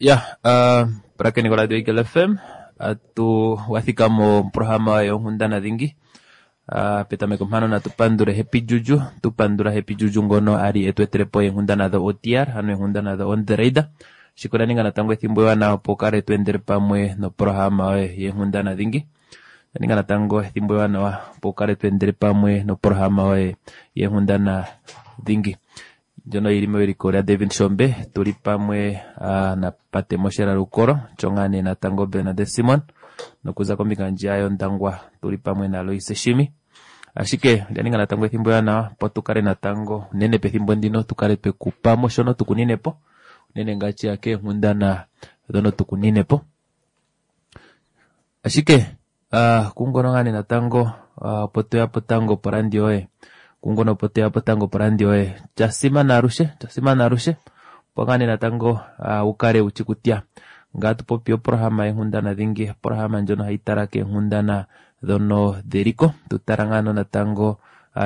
Ya pulakeni koradio Eagle FM atu wathika moprograma yonkundana dhingi. Petameko mpano natu pandule Happy Juju, tu pandula Happy Juju ngono ali etu etele po eenkundana dho OTR, ano eenkundana dho On The Radar. Shika osha ninga natango ethimbo ewanawa opo kale tu endele pamwe noprograma yoye yeenkundana dhingi. Osha ninga natango ethimbo ewanawa opo kale tu endele pamwe noprograma yoye yeenkundana dhingi. Ndjono yili mewiliko lya David Shombe, tuli pamwe na Pate Moshela Lukolo, Tjongane natango Bernadette Simon, nokuza kombinga ndjiya yOndangwa tuli pamwe na Loise Shimi. Ashike olya ninga natango ethimbo ewanawa opo tu kale natango unene pethimbo ndino tu kale twekupa mo shono tukunine po, unene ngaashi ya keenkundana dhono tukunine po. Ashike kungono ngaa nee natango opo toya po tango porandio yoye, kungono opo toya po tango porandio yoye, sha simana alushe, sha simana alushe opo ngaa nee natango wu kale wutyi kutya ngaa tupopi oprograma yenkundana dhingi, oprograma ndjono hayi tala keenkundana dhono dheliko, tu tala ngaa natango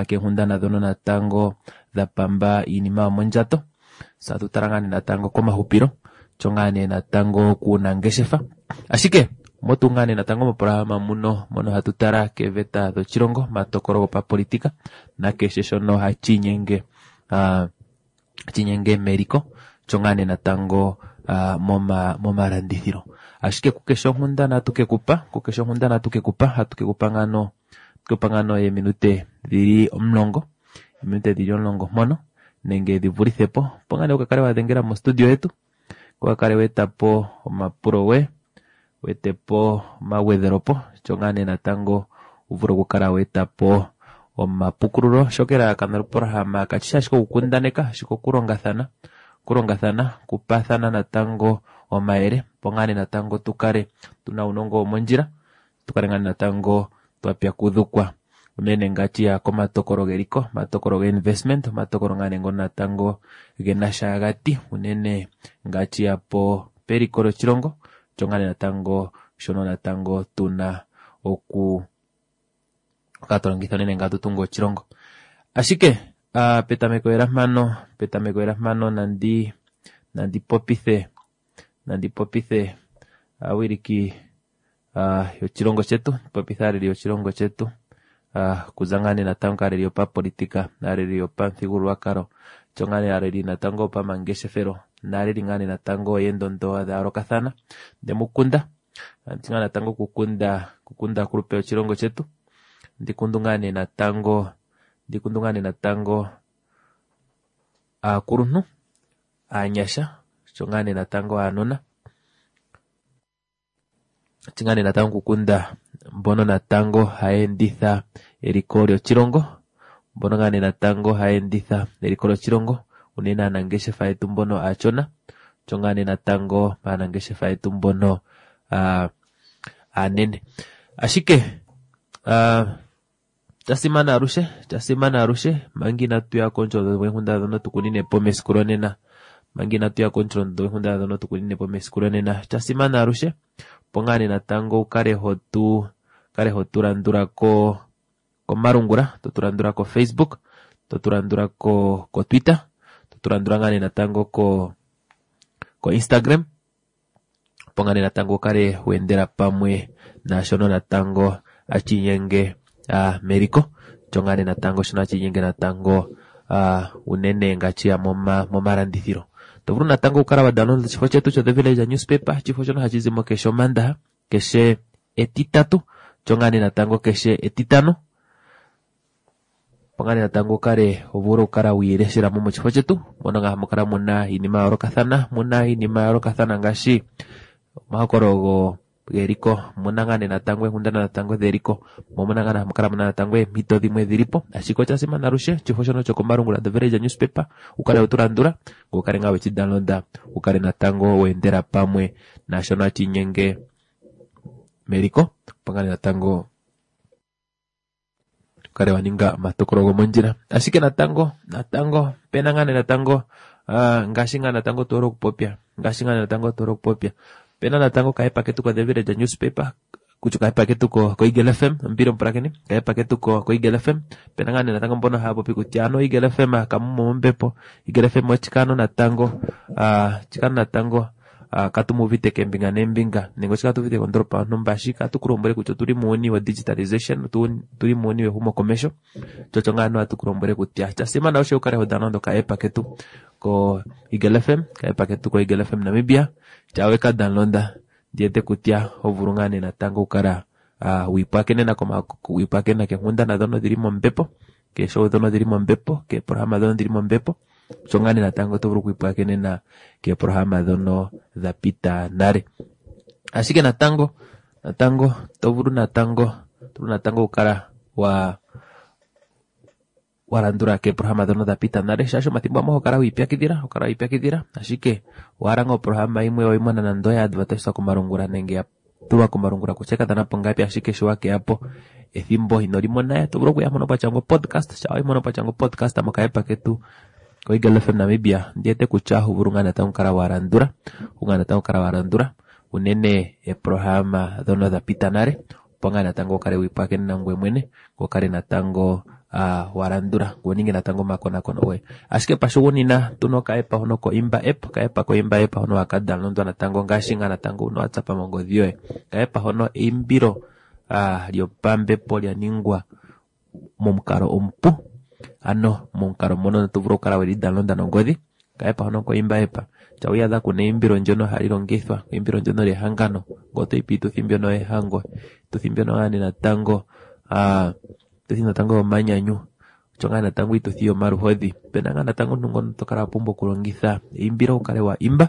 keenkundana dhono natango dha pamba iinima yomondjato, se atu tala ngaa nee natango komahupilo, tsho ngaa nee natango kuunangeshefa. Ashike motu ngaa nee natango moprograma muno mono hatu tala keeveta dhoshilongo, omatokolo gopapolitika nakeshe shono hashi inyenge meliko, tsho ngaa nee natango momalandithilo. Ashike kukeshe onkundana atu kekupa, kukeshe onkundana atu kekupa, atu kekupa ngaano, kekupa ngaano eeminute dhili 10, eeminute dhili 10 mpono nenge dhi vulithe po, opo ngaa nee ukakale wa dhengela mo studio yetu, ukakale weeta po omapulo goye, weete po omagwedhelopo, tsho ngaa nee natango wu vule okukala weeta po omapukululo. Shoka elalakano lyoprograma kashi shi ashike okukundaneka, ashike okulongathana, okulongathana, okupaathana natango omayele, opo ngaa nee natango tukale tuna uunongo womondjila, tukale ngaa nee natango twa pyakudhukwa unene ngaashi ya komatokolo geliko, omatokolo ge-investment, omatokolo ngaa nee ngono natango gena sha gati unene ngaashi ya po peliko lyoshilongo, tsho ngaa nee natango shono natango tuna oku kala twa longitha unene ngaa tutunge oshilongo. Ashike petameko lela mpano, petameko lela mpano nandi nandi popithe, nandi popithe aawiliki yoshilongo shetu, popithe aaleli yoshilongo shetu, kuza ngaa nee natango kaaleli yopapolitika, aaleli yopamuthigululwakalo, tsho ngaa nee aaleli natango yopamangeshefelo, naaleli ngaa nee natango yeendondo dha yoolokathana ndemukunda. Andi ngaa natango kukunda, kukunda aakulupe yoshilongo shetu, ndikundu ngaa nee natango, ndikundu ngaa nee natango aakuluntu, aanyasha, tsho ngaa nee natango aanona, tshi ngaa nee natango kukunda mbono natango haya enditha eliko lyoshilongo, mbono ngaa nee natango haya enditha eliko lyoshilongo, unene aanangeshefa yetu mbono aashona, tsho ngaa nee natango aanangeshefa yetu mbono aanene. Ashike sha simana alushe, sha simana alushe manga inatu ya komusholondondo gweenkundana dhono tukunine po mesiku lonena, manga inatu ya komusholondondo gweenkundana dhono tukunine po mesiku lonena, sha simana alushe opo ngaa nee natango ukale hotu kale hotu landula ko komalungula, totu landula ko Facebook, totu landula ko Twitter, totu landula ngaa nee natango ko Instagram, opo ngaa nee natango ukale weendela pamwe naashono natango hashi inyenge meliko, tsho ngaa nee natango shono hashi inyenge natango unene ngaashi ya momalandithilo. To vulu natango okukala wa download oshifo shetu sho The Villager Newspaper, oshifo shono hashi zimo keshe omandaha, keshe etitatu, tsho ngaa nee natango keshe etitano, opo ngaa nee natango ukale uvule okukala wiileshela mo moshifo shetu, mono ngaa hamu kala muna iinima ya yoolokathana, muna iinima ya yoolokathana ngaashi omahokololo geliko, muna ngaa nee natango eenkundana natango dheliko, mo muna ngaa hamu kala muna natango eempito dhimwe dhilipo. Ashike osha simana alushe oshifo shono shokomalungula The Villager Newspaper ukale wetu landula, ngoye ukale ngaa weshi downloada, ukale natango weendela pamwe naashono hashi inyenge meliko, opo ngaa nee natango ukale wa ninga omatokolo gomondjila. Ashike natango, natango pena ngaa nee natango ngaashi ngaa natango tu hole okupopya, ngaashi ngaa natango tu hole okupopya, pena natango okahepa ketu ko The Villager Newspaper, kutya okahepa ketu ko Eagle FM, ombili omupulakeni, okahepa ketu ko Eagle FM, pena ngaa nee natango mbono haya popi kutya ano Eagle FM kamumo mombepo, Eagle FM ochikano natango, chikano natango Katu mu uvite keembinga neembinga nenge oshi katu uvite kondolopa yonhumba, ashike ohatu ku lombwele kutya otuli muuyuni wo digitalization, otuli muuyuni wehumokomesho. Tsho ngaa ano hatu ku lombwele kutya sha simana osho ukale ho download oka app ketu ko Eagle FM, ka app ketu ko Eagle FM Namibia, tya weka download ndiwete kutya ho vulu ngaa nee natango okukala wiipwakenena wiipwakenena keenghundana dhono dhili mombepo, keeshow dhono dhili mombepo, keeprograma dhono dhili mombepo. Osho ngaa nee natango oto vulu okwiipwakenena keeprograma dhono dha pita nale. Ashike natango natango to vulu natango to vulu natango okukala wa walandula keeprograma dhono dha pita nale, shaashi omathimbo gamwe oho kala wiipyakidhila, ho kala wiipyakidhila, ashike owa hala ngaa oprograma yimwe weyi mona nande oya advertiswa komalungula nenge ya tulwa komalungula kutya ka dhana po ngapi, ashike sho wakeya po ethimbo ino li mona, to vulu okuya mpono pwa shangwa podcast, sha wayi mpono pwa shangwa podcast mokaepa ketu koEagle FM Namibia, ndiwete kutya oho vulu ngaa natango okukala wa landula, ngaa natango okukala wa landula unene eeprograma dhono dha pita nale, opo ngaa natango ukale wiipwakenena ngoye mwene, ngoye ukale natango wa landula, ngoye uninge natango omakonakono goye. Ashike pashugunina tuna okaepa hono koImba app, okaepa koImba app hono haka downloadwa natango ngaashi ngaa natango una WhatsApp mongodhi yoye. Okaepa hono eimbilo lyopambepo lya ningwa momukalo omupu, ano momukalo mono to vulu okukala weli download nongodhi. Okaepa hono koImba app tya wiiyadha kuna eimbilo ndyono hali longithwa, eimbilo ndyono lyehangano, ngele otoyi piituthi mbyono yehango, iituthi mbyono ngaa nee natango iituthi natango yomanyanyu, osho ngaa natango iituthi yomaluhodhi, opena ngaa natango omuntu ngono to kala wa pumbwa okulongitha eimbilo wu kale wa imba,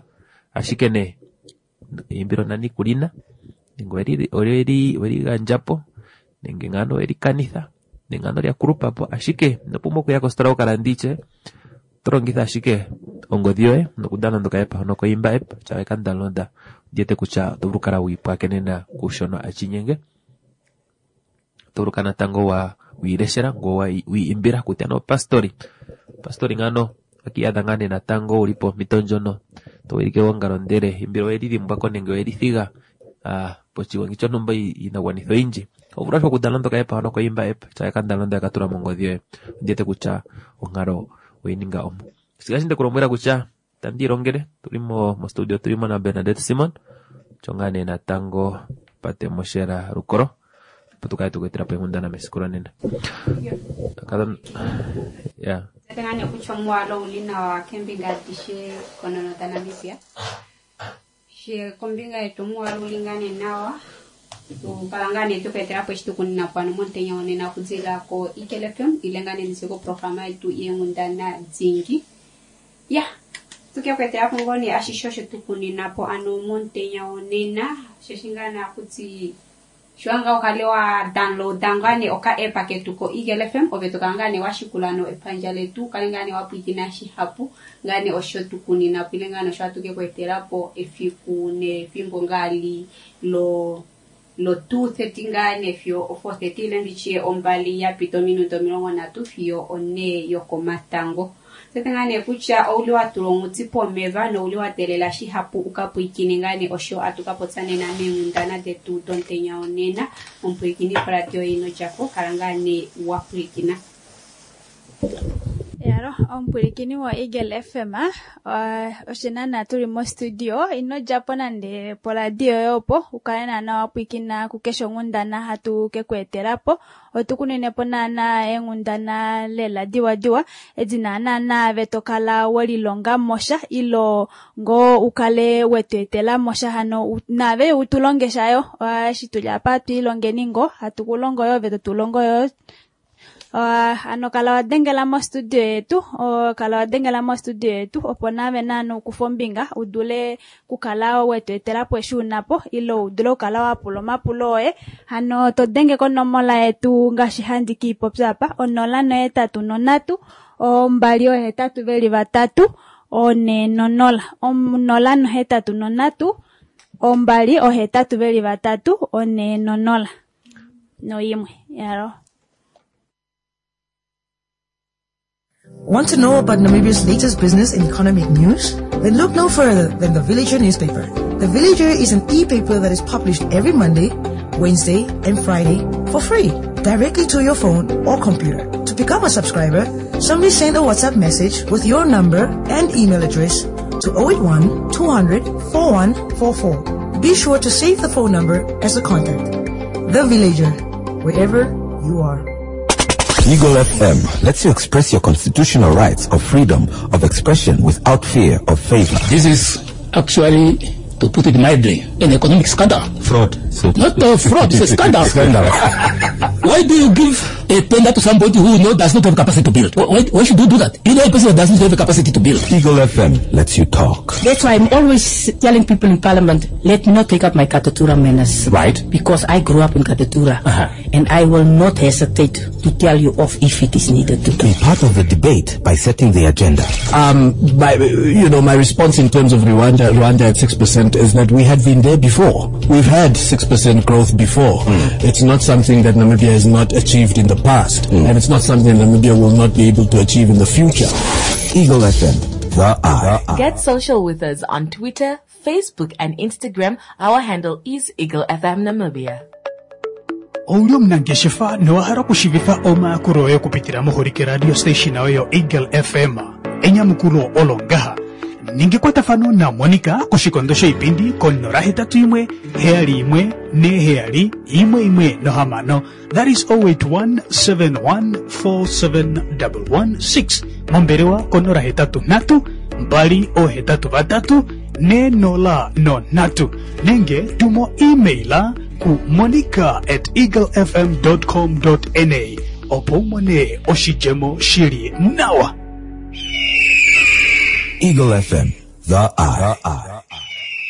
ashike nee eimbilo nani kulina nenge oweli gandjapo nenge ngaano oweli kanitha nenge ngaano lya kulupa po, ashike ino pumbwa okuya kositola wuka lande ishewe, oto longitha ashike ongodhi yoye nokudownload okaepa hono koImba app, shampa weka download ondiwete kutya oto vulu okukala wiipwakenena kushono ashi inyenge. Oto vulu okukala natango wa wiileshela ngoye wiimbila kutya nee opastori, pastori ngaano okiiyadha ngaa nee natango wuli pompito ndjono to wilike egongalo ndele eimbilo oweli dhimbwako nenge oweli thiga poshigongi shontumba iinakugwanithwa oyindji, oho vulu ashike okudownload okaepa hono koImba app, shampa weka download weka tula mongodhi yoye, ondiwete kutya onkalo oweyi ninga ompu. Ngaashi ndeku lombwela kutya itandi ilongele, otuli mo studio otuli mo na Bernadette Simon, osho ngaa nee natango Pate Moshela Rukoro, opo tu kale tuku etela po eenghundana mesiku lonena. Ya. Tete kutya omuwalo ouli nawa keembinga adishe konono daNamibia. She kombinga yetu omuwalo ouli ngaa nee nawa, tukala ngaa nee tuku etela po eshi tukunina po ano momutenya wonena okudilila ko Eagle FM ile ngaa nee nditye koprograma yetu yeenghundana dingi. Ya, tuke ku etela po ngoo nee ashishe osho tukunina po ano momutenya wonena, osheshi ngaa nee akuti shiwa ngaa ukale wa downloada ngaa nee oka app ketu ko Eagle FM, ove tokala ngaa nee washikula no epandja letu, ukale ngaa nee wapwiikina shihapu ngaa nee osho tukunina po ile ngaa nee osho hatu ke ku etela po efiku nefimbo ngaa li lo 2:30 ngaa nee fiyo 4:30 ile nditye 2 yapita ominute 30 fiyo 4 yokomatango. Tete ngaa nee kutya ouli wa tula onghuti pomeva nouli wa teelela shihapu uka pwiikine ngaa nee osho atu ka popya nena meenghundana detu domutenya wonena. Omupwiikini koradio ino djako, kala ngaa nee wa pwiikina. Yalo, omupwilikini wa Eagle FM, oshinana tuli mo studio, ino djapo nande poradio yoye opo, ukale naana wa pwiikina kukeshe onghundana hatu ke ku etela po. Otu kunine po naana eenghundana lela diwadiwa, edi naana naave to kala welilonga mosha, ilo ngoo ukale wetu etela mosha hano naave utu longe shayo, eshi tuli apa twiilongeni ngo, hatu ku longo yo, ove totu longo yo. Ano kala wa dengela mo studio yetu, kala wa dengela mo studio yetu, opo naave naana ukufa ombinga, udule kukala wetu etela po eshi unapo, ilo udule okukala wa pula omapulo oye. Hano to denge konomola yetu ngaashi handi kiipopya apa, 083 283 400, 083 283 400 noyimwe yalo. Want to know about Namibia's latest business and economic news? Then look no further than The Villager newspaper. The Villager is an e-paper that is published every Monday, Wednesday, and Friday for free, directly to your phone or computer. To become a subscriber, simply send a WhatsApp message with your number and email address to 081 200 4144. Be sure to save the phone number as a contact. The Villager, wherever you are. Eagle FM lets you express your constitutional rights of freedom of expression without fear of favor. This is actually, to put it mildly, an economic scandal. Fraud. So Not a fraud, it's a scandal. Scandal. Why do you give a tender to somebody who you know does not have capacity to build? Why should you do that? You know a person that doesn't have the capacity to build. Eagle FM lets you talk. That's why I'm always telling people in parliament, let me not take up my Katutura manners. Right. Because I grew up in Katutura. And I will not hesitate to tell you off if it is needed to. Be part of the debate by setting the agenda. My response in terms of Rwanda at 6% is that we had been there before. We've had 6% growth before. It's not something that Namibia has not achieved in the past, and it's not something Namibia will not be able to achieve in the future. Eagle FM, the Eye. Get social with us on Twitter, Facebook and Instagram. Our handle is Eagle FM Namibia. Ouli omunangeshefa nowa hala okushiivifa omayakulo oye okupitila moholike radio station yoye yo Eagle FM. Enyamukulo olo ngaha. Ninga ekwatafano na Monica koshikondo shoipindi ko 081 71 47 116. That is 081 71 47 116. Mombelewa ko 083 2 83 4 03 nenge tumo emaila ku monica@eaglefm.com.na opo umone oshidjemo shili nawa. Eagle FM, the Eye.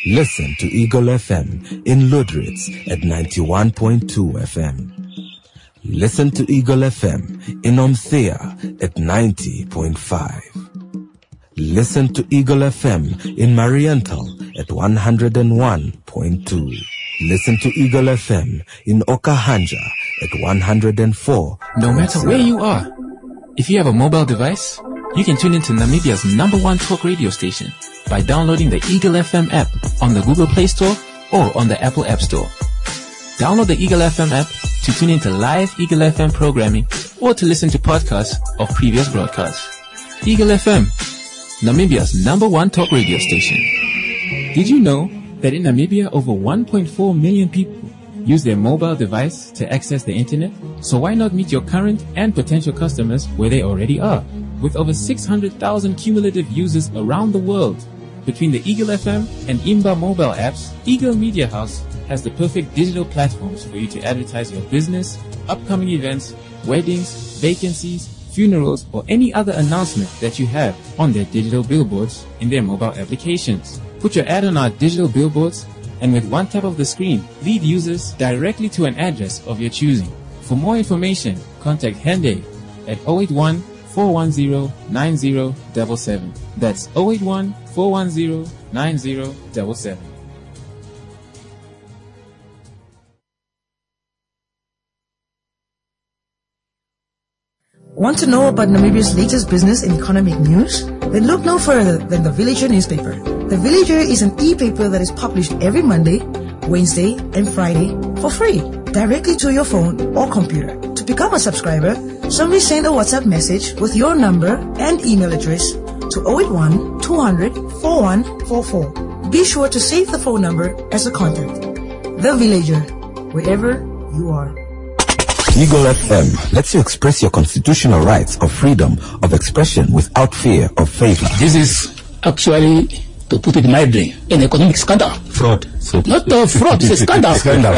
Listen to Eagle FM in Lüderitz at 91.2 FM. Listen to Eagle FM in Omuthiya at 90.5. Listen to Eagle FM in Mariental at 101.2. Listen to Eagle FM in Okahandja at 104. No matter where you are, if you have a mobile device, you can tune into Namibia's #1 talk radio station by downloading the Eagle FM app on the Google Play Store or on the Apple App Store. Download the Eagle FM app to tune into live Eagle FM programming or to listen to podcasts of previous broadcasts. Eagle FM, Namibia's #1 talk radio station. Did you know that in Namibia, over 1.4 million people use their mobile device to access the internet? So why not meet your current and potential customers where they already are? With over 600,000 cumulative users around the world, between the Eagle FM and Imba mobile apps, Eagle Media House has the perfect digital platforms for you to advertise your business, upcoming events, weddings, vacancies, funerals, or any other announcement that you have on their digital billboards in their mobile applications. Put your ad on our digital billboards, and with one tap of the screen, lead users directly to an address of your choosing. For more information, contact Hende at 081 410 9077. That's 081 410 9077. Want to know about Namibia's latest business and economic news? Then look no further than the Villager newspaper. The Villager is an e-paper that is published every Monday, Wednesday, and Friday for free, directly to your phone or computer. To become a subscriber, simply send a WhatsApp message with your number and email address to 081 200 4144. Be sure to save the phone number as a contact. The Villager, wherever you are. Eagle FM lets you express your constitutional rights of freedom of expression without fear of favor. This is actually, to put it mildly, an economic scandal. Fraud. So Not a fraud, it's a scandal. Scandal.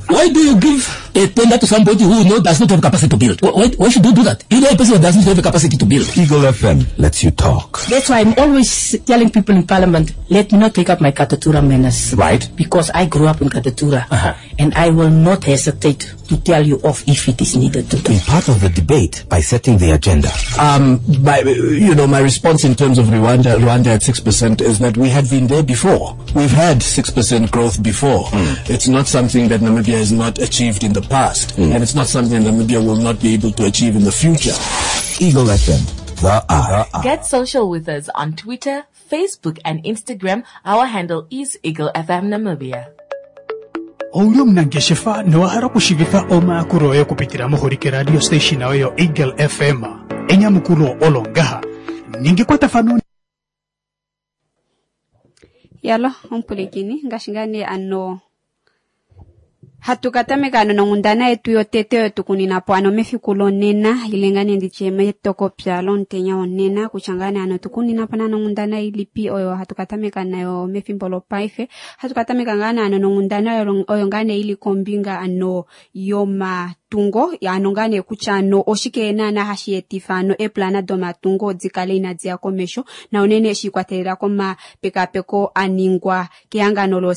Why do you give a tender to somebody who you know does not have capacity to build? Why should you do that? You know a person that doesn't have the capacity to build. Eagle FM lets you talk. That's why I'm always telling people in parliament, let me not take up my Katutura manners. Right. Because I grew up in Katutura. And I will not hesitate to tell you off if it is needed to. Be part of the debate by setting the agenda. My response in terms of Rwanda at 6% is that we had been there before. We've had 6% growth before. It's not something that Namibia has not achieved in the past, and it's not something Namibia will not be able to achieve in the future. Eagle FM, the Eye. Get social with us on Twitter, Facebook and Instagram. Our handle is Eagle FM Namibia. Ouli omunangeshefa nowa hala okushiivifa omayakulo oye okupitila moholike radio station yoye yo Eagle FM. Enyamukulo olo ngaha. Ninga ekwatafano. Yalo omupulikini ngaashi ngaa nee ano hatu ka tameka ano nonghundana yetu yotete oyo tukunina po ano mefiku lonena ile ngaa nee nditye metokopya lomutenya wonena kutya ngaa nee ano tukunina po naana onghundana ilipi oyo hatu ka tameka nayo mefimbo lopaife. Hatu ka tameka ngaa nee ano nonghundana oyo ngaa nee ili kombinga ano yomatungo ano ngaa nee kutya ano oshike naana hashi etifa ano eeplana domatungo dikale inadi ya komesho na unene shiikwatelela komapekapeko aningwa kehangano lo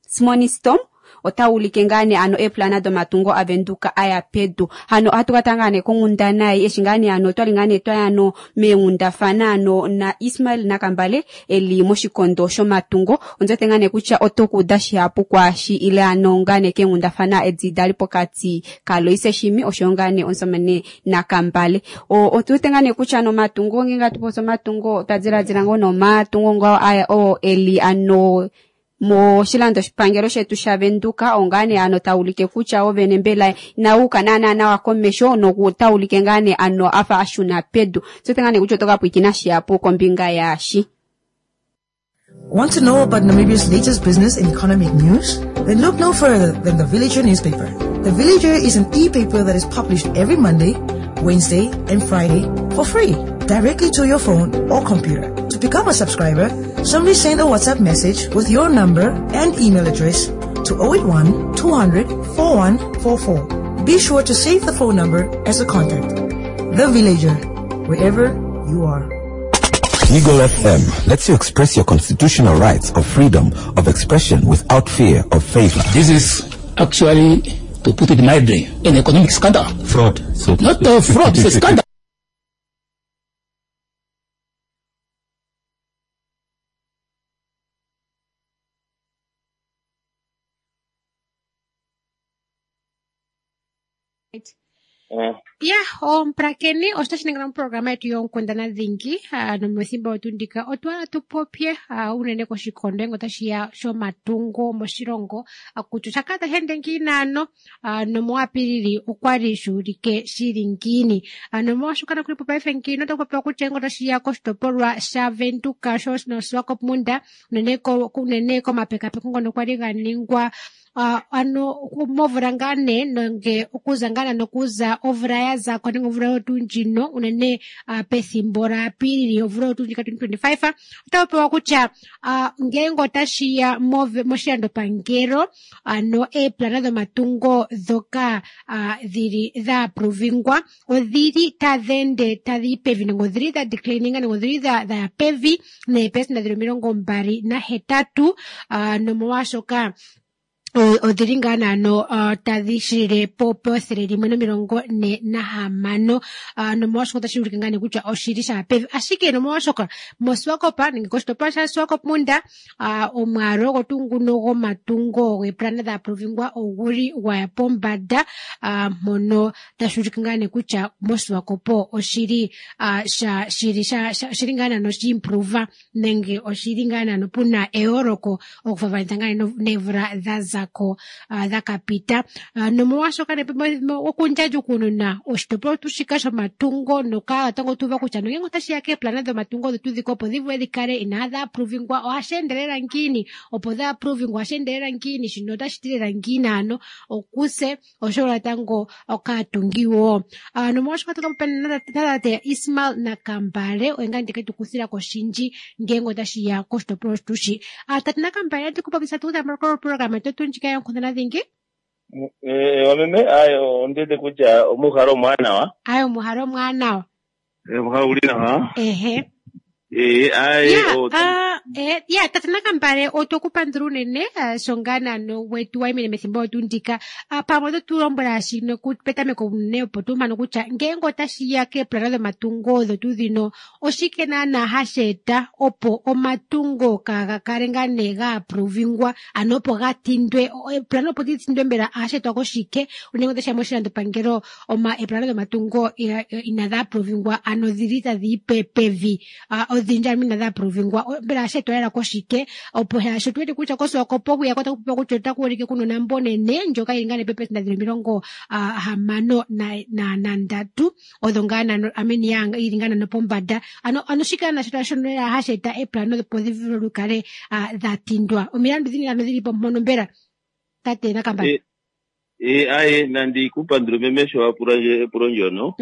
Simonistom ota ulike ngaa nee ano eeplana domatungo avenduka aya pedu. Hano ohatu ka tanga nee konghundana ei eshi ngaa nee ano otwali ngaa nee twaya ano meenghundafana ano na Ismael Nakambale eli moshikondo shomatungo. Ondiwete ngaa nee kutya oto kuuda shihapu kwaashi ile ano ngaa nee keenghundafana edi dali pokati kaLoise Shimi oshoyo ngaa nee omusamane Nakambale. Otuwete ngaa nee kutya ano omatungo ngeenge hatu popi omatungo otwa diladila ngoo nomatungo ngao aya oo eli ano moshilando shipangelo shetu shaVenduka ongaa nee ano taulike kutya ovene mbela inauka naana nawa komesho noku taulike ngaa nee ano afa ashuna pedu. Tuwete ngaa nee kutya oto ka pwiikina shihapu kombinga yaashi. Want to know about Namibia's latest business and economic news? Then look no further than the Villager newspaper. The Villager is an e-paper that is published every Monday, Wednesday, and Friday for free, directly to your phone or computer. To become a subscriber, simply send a WhatsApp message with your number and email address to 081 200 4144. Be sure to save the phone number as a contact. The Villager, wherever you are. Eagle FM lets you express your constitutional rights of freedom of expression without fear of favor. This is actually, to put it mildly, an economic scandal. Fraud. So Not a fraud, it's a scandal. Ya, omupulakeni otashi ningila moprograma yetu yonkundana dhingi nomethimbo yetu ndika otwa tu popye unene koshikondo enge otashi ya shomatungo moshilongo kutya osha kala tashi ende ngiini ano nomuApilili okwali shuulike shili ngiini. Nomolwaashoka nokuli paife ngiini otaku popiwa kutya enge otashi ya koshitopolwa shaVenduka noSwakopmund unene komapekapeko ngono kwali ga ningwa ano movula ngaa nee nenge okuza ngaa nokuza omvula ya zako nenge omvula yotu ndjino unene pethimbo laApilili omvula yotu ndjika 2025 otaku pewa kutya ngeenge otashiya moshilandopangelo ano eeplana dhomatungo dhoka dhili dha aprovingwa odhili tadhi ende tadhi yi pevi nenge odhili dha declininga nenge odhili dhaya pevi neepesenda dhili 28 nomolwaashoka odhili ngaa naano tadhi shilile po 146 nomolwaashoka otashi ulike ngaa nee kutya oshili shaya pevi. Ashike nomolwaashoka moSwakop nenge koshitopolwa shaSwakopmund omwaalu ogo tuu nguno gomatungo geeplana dha aprovingwa oguli gwaya pombanda mpono tashi ulike ngaa nee kutya moSwakop oshili shili ngaa naano shi improve nenge oshili ngaa naano puna eyooloko okufafanitha ngaa nee neemvula dha zako dha kapita. Nomolwaashoka okundjandjukununa oshitopolwa tuu shika shomatungo noka natango tuuva kutya nongele otashi ya keeplana dhomatungo dhetu dhika opo dhi vule dhi kale inaadhi aprovingwa ohashi endelela ngiini, opo dha aprovingwa ohashi endelela ngiini, shino otashi ti lela ngiini ano okuse oshowo natango okaatungi wo. Nomolwaashoka otaku popiwa natate Ismael Nakambale oye ngaa ndike tukuthila koshindji ngeenge otashi ya koshitopolwa shetu shi. Tate Nakambale andi kupopisa tuu programa yetu ndjika yonkundana dhingi. Wameme ayo ondete kutya omuhalo omwaanawa. Ayo omuhalo omwaanawa. Omuhalo uli nawa. Ehe. Aye Ya, tate Nakambale otokupandula unene sho ngaa naano wetu wayimine methimbo lyetu ndika. Pamwe oto tu lombwela shino petameko unene opo tu mane kutya ngeenge otashi ya keeplana dhomatungo dhetu dhino oshike naana hashi eta opo omatungo kaaga kale ngaa nee ga aprovingwa ano opo ga tindwe eeplana opo dhi tindwe mbela ohashi etwa koshike unene otashi ya moshilandopangelo eeplana dhomatungo inadhi aprovingwa ano dhili tadhi yi pevi odhindji ano inadhi aprovingwa mbela ohashi Ohashi etwa lela koshike opo shaashi otu wete kutya koSwakopo hwiya otaku popiwa kutya otaku ulike kuna onambo onene ndjoka yili ngaa nee peepelesenda dhili 63 odho ngaa nano I mean ya yili ngaa nano pombanda. Ano ano shika nasho shono lela hashi eta eplano opo dhi vule lukale dha tindwa. Omilandu dhini ano dhili po mpono mbela tate Nakambale? Eh, eh, aye nandi ku pandule meme sho wa pula ndje epulo ndyono.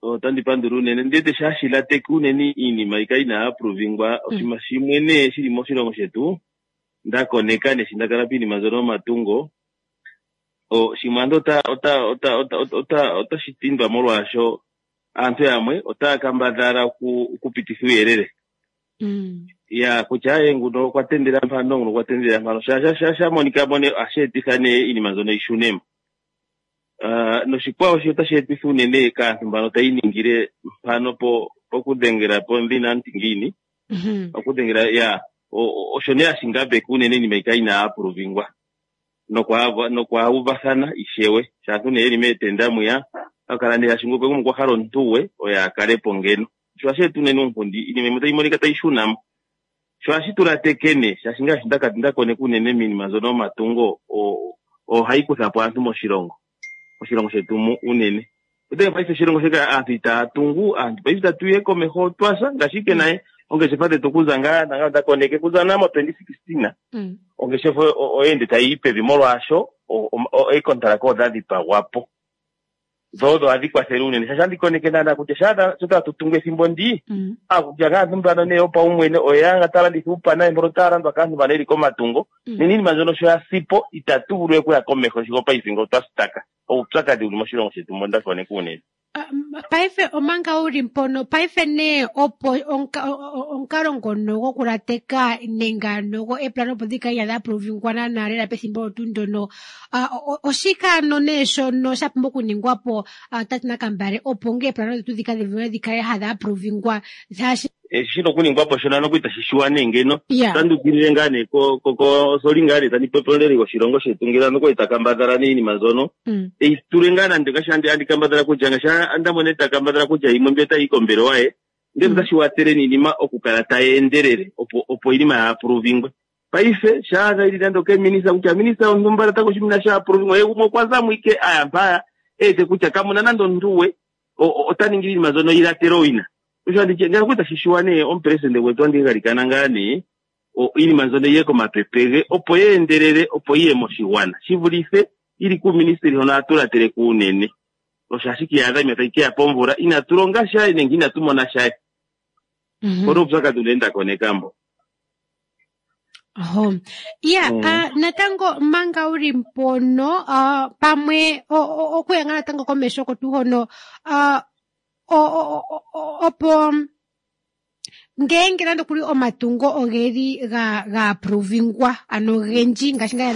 Otandi pandula unene ndete shashi lateke unene iinima yika inaya aprovingwa oshinima shimwe nee shili moshilongo shetu nda koneka nee shi nda kala piinima mbyono yomatungo o shimwe ando ota ota ota ota ota otashi tindwa molwaasho aantu yamwe otaya kambadhala oku okupititha uuyelele ya kutya aye nguno okwa tendela mpano nguno okwa tendela mpano sha sha sha sha monika mo nee ohashi etitha nee iinima mbyono yi shune mo. Ah, noshikwawo shi otashi etitha unene kaantu mbano tayi iningile mpano po pokudhengela po ndhina anti ngiini okudhengela ya osho nee hashi ngambeke unene iinima yi kale inaa aprovingwa nokwaauvathana ishewe shaantu nee yeli meetenda mwiya akala nee hashi ngokwe gumwe okwa hala omuntu gwe oye a kale po ngeno sho ohashi eta unene uunkundi iinima yimwe tayi monika tayi shuna mo sho ohashi tu lateke nee shaashi ngaashi ndaka nda koneka unene miinima mbyono yomatungo ohayi kutha po aantu moshilongo moshilongo shetu mu unene otenge paife oshilongo shika aantu itaya tungu aantu paife itatu ye komeho otwasa ngaashi ike naye ongeshefa dhetu okuza ngaa nanga nda koneke kuza naa mo 2016 ongeshefa oyeende tayi yi pevi molwaasho eekontalaka odha dhipagwa po dho odho hadhi kwathele unene shaashi andi koneke naana kutya shaa sho tatu tungu ethimbo ndi akutya kaantu mbano nee yopaumwene oye anga ta landitha uupana mbono taya landwa kaantu mbano yeli komatungo nena iinima mbyono sho ya sipo itatu vulu we okuya komeho sigo paife ngo twa staka oupyakadhi wuli moshilongo shetu mbo nda koneka unene. Paife omanga wu li mpono, paife nee opo omukalo ngono gokulateka nenge ano go eplano opo dhi kale ihadhi aprovingwa naanaa lela pethimbo olyo tuu ndyono, oshike ano nee shono sha pumbwa okuningwa po tate Nakambale opo nge eplano dhetu dhika dhi vule dhi kale hadhi aprovingwa shaashi Eshi shina okuningwa po shono ano itashi shiwa nee ngeno. Otandi ukilile ngaa nee ko ko ko soli ngaa nee tandi popi omuleli goshilongo shetu ngele ano okwali ta kambadhala nee iinima mbyono eyi tule ngaa nande ngaashi andi andi kambadhala kutya ngaashi anda mone ta kambadhala kutya yimwe mbi otayi yi kombelewa ye ndele otashi watele niinima okukala tayi endelele opo opo iinima ya aprovingwe. Paife shaadha yili nande okeminista kutya minista yontumba natango oshinima sha aprovingwa ye gumwe okwa zamo ike aya mpaya e wete kutya kamuna nande omuntu gwe ota ningi iinima mbyono yi latele owina. Osho andi tye ngele tashi shiwa nee omupresidente gwetu andi galikana ngaa nee iinima mbyono yiye komapepe ge opo ye endelele opo yiye moshigwana shi vulithe yili kuuministeli hono hatu latele ko unene. Osho ashike iyadha iinima tayi keya pomvula inatu longa sha nenge inatu mona sha. Mpono uupyakadhi unene nda koneka mbo. Oho. Ya, natango manga uli mpono pamwe okuya ngaa natango komesho oko tuu hono opo ngeenge nande okuli omatungo ogeli ga ga aprovingwa ano ogendji ngaashi ngaa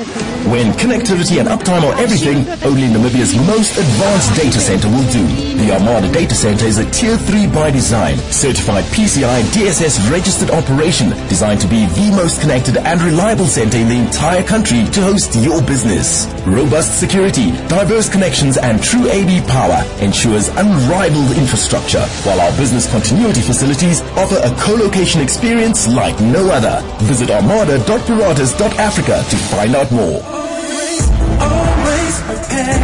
When connectivity and uptime are everything, only Namibia's most advanced data center will do. The Armada Data Center is a Tier 3 by design, certified PCI DSS registered operation designed to be the most connected and reliable center in the entire country to host your business. Robust security, diverse connections and true AV power ensures unrivaled infrastructure, while our business continuity facilities offer a co-location experience like no other. Visit armada.paratus.africa to find out more. Always prepared.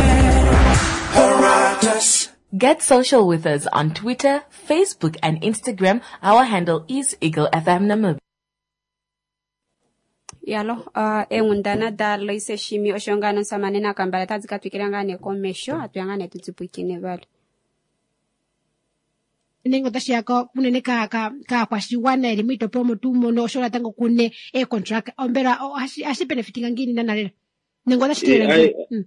Paratus. Get social with us on Twitter, Facebook, and Instagram. Our handle is Eagle FM Namibia. Yalo, eenghundana da Loise Shimi osho ngaa nomusamane Nakambala otadi ka twikila ngaa nee komesho, atuya ngaa nee tu tsipwikine vali. Nenge otashi ya unene kaakwashigwana yeli miitopolwa omo tuu mono osho natango kune eecontract mbela ohashi benefitinga ngiini nana lela nenge otashi tilele ngiini?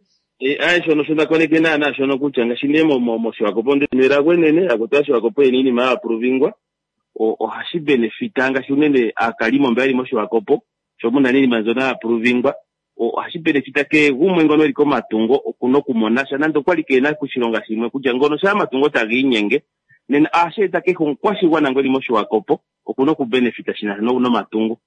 Aye shono sho nda koneke naana shono kutya ngaashi nee mOshiwakopo ndele elago enene akuti Oshiwakopo yena iinima ya aprovingwa ohashi benefita ngaashi unene aakalimo mba yeli mOshiwakopo sho muna iinima mbyono ya aprovingwa ohashi benefita kehe gumwe ngono eli komatungo okuna okumona sha nande okwali keena koshilonga shimwe kutya ngono shaa omatungo taga inyenge nena ohashi eta kehe omukwashigwana ngo eli mOshiwakopo okuna okubenefita shina sha nomatungo.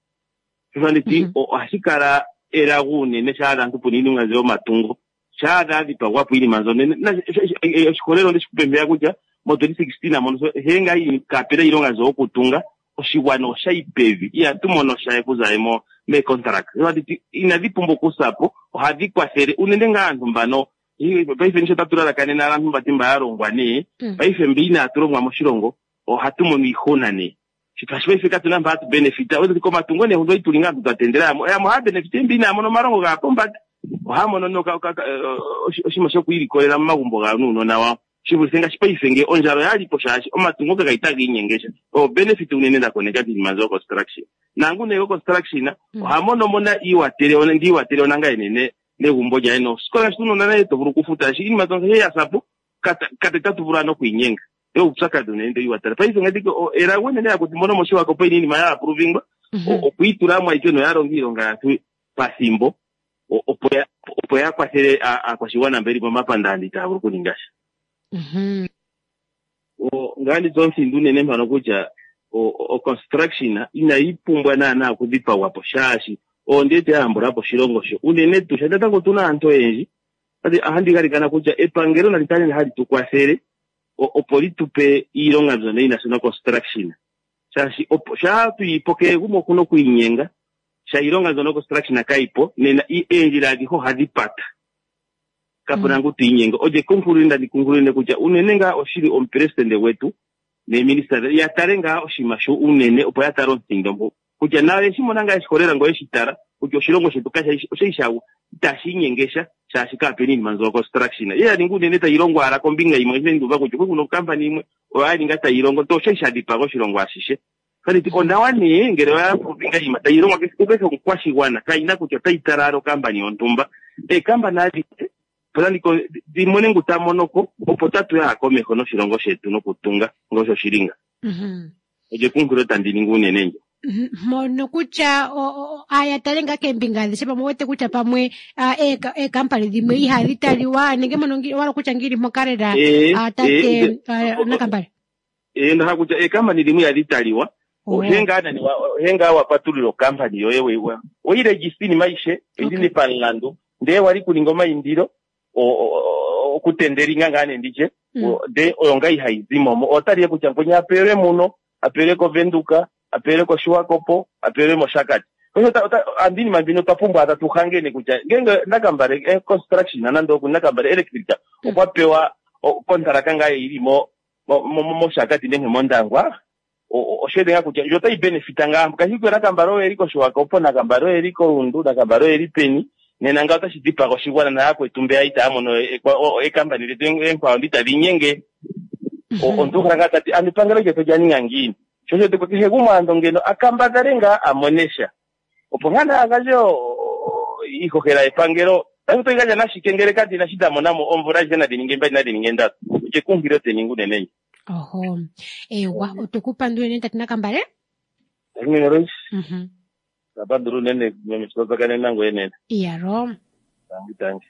Sho osho anditi ohashi kala elago unene shaa aantu puna iinima mbyo yomatungo shaa dha dhipagwapo iinima mbyono nena oshiholelwa ondeshi kupe mpeya kutya mo 2016 mono hee ngaa kapena iilonga mbyo yokutunga. Oshigwana oshayi pevi, ihatu mono sha okuza mo meecontract. Inadhi pumbwa okusa po, ohadhi kwathele unene ngaa aantu mbano. Paife nisho tatu lalakanene aantu mbati mba ya longwa nee, paife mbi inaatu longwa moshilongo ohatu mono iihuna nee. Shaashi paife katu na mpa hatu benefita. Komatungo nee huno ituli ngaa aantu twa tendela yamwe. Yamwe ohaya benefita mbi inaya mona omalongo gaya pombanda. Ohaya mono nee oshinima shokwiilikolela momagumbo gawo nuunona wawo. Shi vulithe ngaashi paife ngee ondjala oya li po shaashi omatungo kaga li taga inyenge sha. Oyo benefit unene nda koneka kiinima mbyo yo construction. Naangu nee go construction oha mono mo na iiwatele, ndi iwatele onanga enene negumbo lyaye nosikola ngaashi uunona naye to vulu okufuta. Shaashi iinima mbyono ya sa po, kata tatu vulu ano okwiinyenga. Oyo uupyakadhi unene ndo iwatele. Paife ngaashi elago enene yakwetu mbono mOshiwakopo yina iinima ya approvingwa, okwiitula mo ayike noya longa iilonga yaantu pathimbo, opo ya kwathele aakwashigwana mba yeli momapandaanda itaya vulu okuninga sha. Ngaa ndi tse omuthindo unene mpano kutya o-construction inayi pumbwa naanaa okudhipagwa po shaashi oyo ndi wete ya yambula po oshilongo sho unene tuu shaashi natango otuna aantu oyendji. Ohandi galikana kutya epangelo nali kale hali tu kwathele opo li tu pe iilonga mbyono yina sha no-construction shaashi opo shaa tuyipo kehe gumwe okuna okwiinyenga sha iilonga mbyono construction kayipo nena eendjila adhihe ohadhi pata. Kapuna ngu twiinyenge. Olye kunkulile ndandi kunkulile kutya unene ngaa oshili omupresidente gwetu neeminista ya tale ngaa oshinima sho unene opo ya tale omuthindo mpo kutya nayo yeshi mona ngaa yeshiholela ngoo yeshi tala kutya oshilongo shetu kasha oshali sha itashi inyenge sha shaashi kaapena iinima mbyono construction ye ya ninga unene tayi longwa owala kombinga yimwe nge nduuva kutya okwali kuna okampani yimwe oyo ya ninga tayi longo to oshali sha dhipaga oshilongo ashishe. Tandi ti onawa nee ngele oya kombinga yimwe tayi longwa kukehe omukwashigwana kayina kutya otayi tala owala okampani yontumba. Eekampani adhihe opo dhi mone ngu ta mono ko opo tatu ya komeho noshilongo shetu nokutunga ngosho shili nga. Olyo ekunkulo tandi ningi unene ndjo. Mono kutya aya tale ngaa keembinga adhishe pamwe wete kutya pamwe eekampani dhimwe ihadhi taliwa nenge mono wala kutya ngili mpoka lela tate Nakambale. Ndahala kutya eekampani dhimwe ihadhi taliwa. Ohe ngaa nani ohe ngaa wa patulula okampani yoye weyi register iinima ayishe oyili pamulandu ndee wali kuninga omaindilo okutendelinga ngaa nee nditye ndee oyo ngaa ihayi zimo mo otaliye kutya mkwenye apelwe muno apelwe koVenduka apelwe koShiwakopo apelwe mOshakati. Andi iinima mbino twa pumbwa tatu hangene kutya ngenge Nakambale construction nande oku Nakambale electric okwa pewa kontalaka ngaa yili mOshakati nenge mOndangwa osho ngaa kutya ndjo otayi benefita ngaa kashi kutya Nakambale oye li kOshiwakopo Nakambale oye li koRundu Nakambale oye li peni nena ngaa otashi dhipaga oshigwana nayakwetu mbeya itaya mono eekampani dhetu eenkwawo ndi tadhi inyenge. Omuntu okhala ngaa tati ano epangelo lyetu olya ninga ngiini sho osho kehe gumwe ando ngeno a kambadhale ngaa a mone sha opo ngaa naye a gandje iihohela yepangelo. Paife otoyi gandja nashike ngele kadhina shi dha mona mo omvula adhihe nadhi ninge mbali nadhi ninge ndatu. Olyo ekunkililo te ningi unene ndjo. Oho, ewa otweku pandula unene tate Nakambale. Tangi meme Lois. Tapandula unene meme sho twa nangoye nena. Iyalo. Tangi tangi.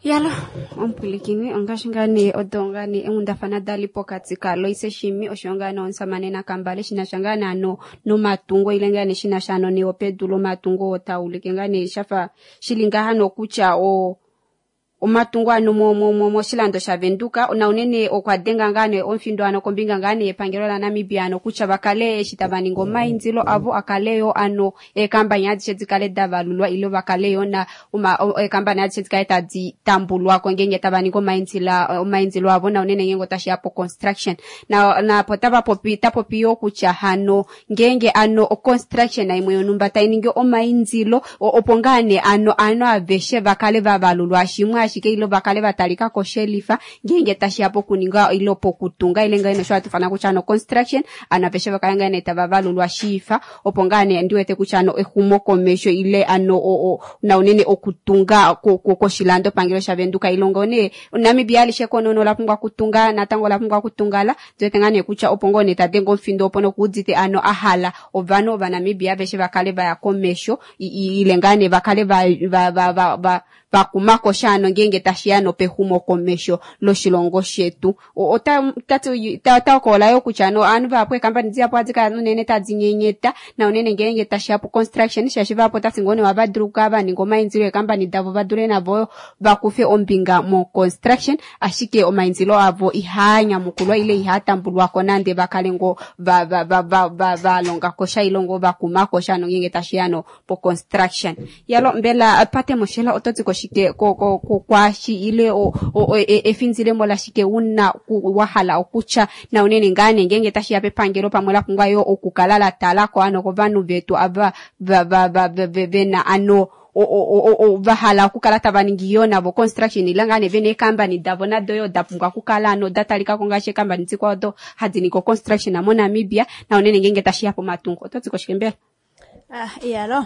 Yalo, omupwilikini ongaashi ngaa nee odo ngaa nee eenghundafana dali pokati kaLoise Shiimi oshoyo ngaa nee omusamane Nakambale shinasha ngaa nee ano nomatungo ile ngaa nee shinasha ano neyopedu lomatungo oo taulike ngaa nee shafa shili ngaha nokutya o omatungo ano moshilando shaVenduka na unene okwa denga ngaa nee omufindo ano kombinga ngaa nee yepangelo laNamibia ano kutya vakale eshi tava ningi omaindilo avo akale yo ano eekambani adishe dikale davalulwa ile vakale yo na eekambani adishe dikale tadi tambulwako ngenge tava ningi omaindilo avo na unene ngenge otashi ya po construction na po tava popi tapopi yo kutya hano ngenge ano o construction imwe yonumba tai ningi omaindilo opo ngaa nee ano ano aveshe vakale vavalulwa shimwe ashike ile vakale vatalika koshelifa ngenge tashi ya pokuninga ile pokutunga ile ngaa nosho hatufana kutya ano construction ano aveshe vakale ngaa nee tava valulwa shiifa opo ngaa nee ndiwete kutya ano exumokomesho ile ano na unene okutunga koshilando pangelo shaVenduka ilongo nee Namibia alishe konono la pumbwa kutunga natango la pumbwa kutungala ndiwete ngaa nee kutya opo ngoo nee tadenga omufindo opo nokuudite ano ahala ovanhu ovanamibia aveshe vakale vaya komesho ile ngaa nee vakale vakumako sha ano ngeenge tashiya nopexumokomesho loshilongo shetu. Ota hokolola yo kutya ano ovanhu vahapu eekambani dihapu ohadi kala unene tadi nyenyeta na unene ngeenge tashiya po construction, shaashi vahapu otati ngoo nee ohava dulu okukala vaninga omaindilo eekambani davo va dule navo vakufe ombinga mo construction, ashike omaindilo avo ihaa nyamukulwa ile ihaa tambulwako nande vakale ngoo valonga kosha ile ngoo vakuma kosha ano ngeenge tashiya no po construction. Yalo mbela Pate Moshela oto ti koshike kwaashi ile efindilemo lashike una wahala okutya na unene ngaa nee ngeenge tashiya pepangelo pamwe la pumbwa yo okukala la talako ano kovanhu vetu ava vena ano vahala okukala tava ningi yo navo construction ile ngaa nee vena eekambani davo nado yo da pumbwa okukala ano da talikako ngaashi eekambani dikwao odo hadi ningi construction moNamibia na unene ngeenge tashiya pomatungo. Oto ti koshike mbela? Ah, iyalo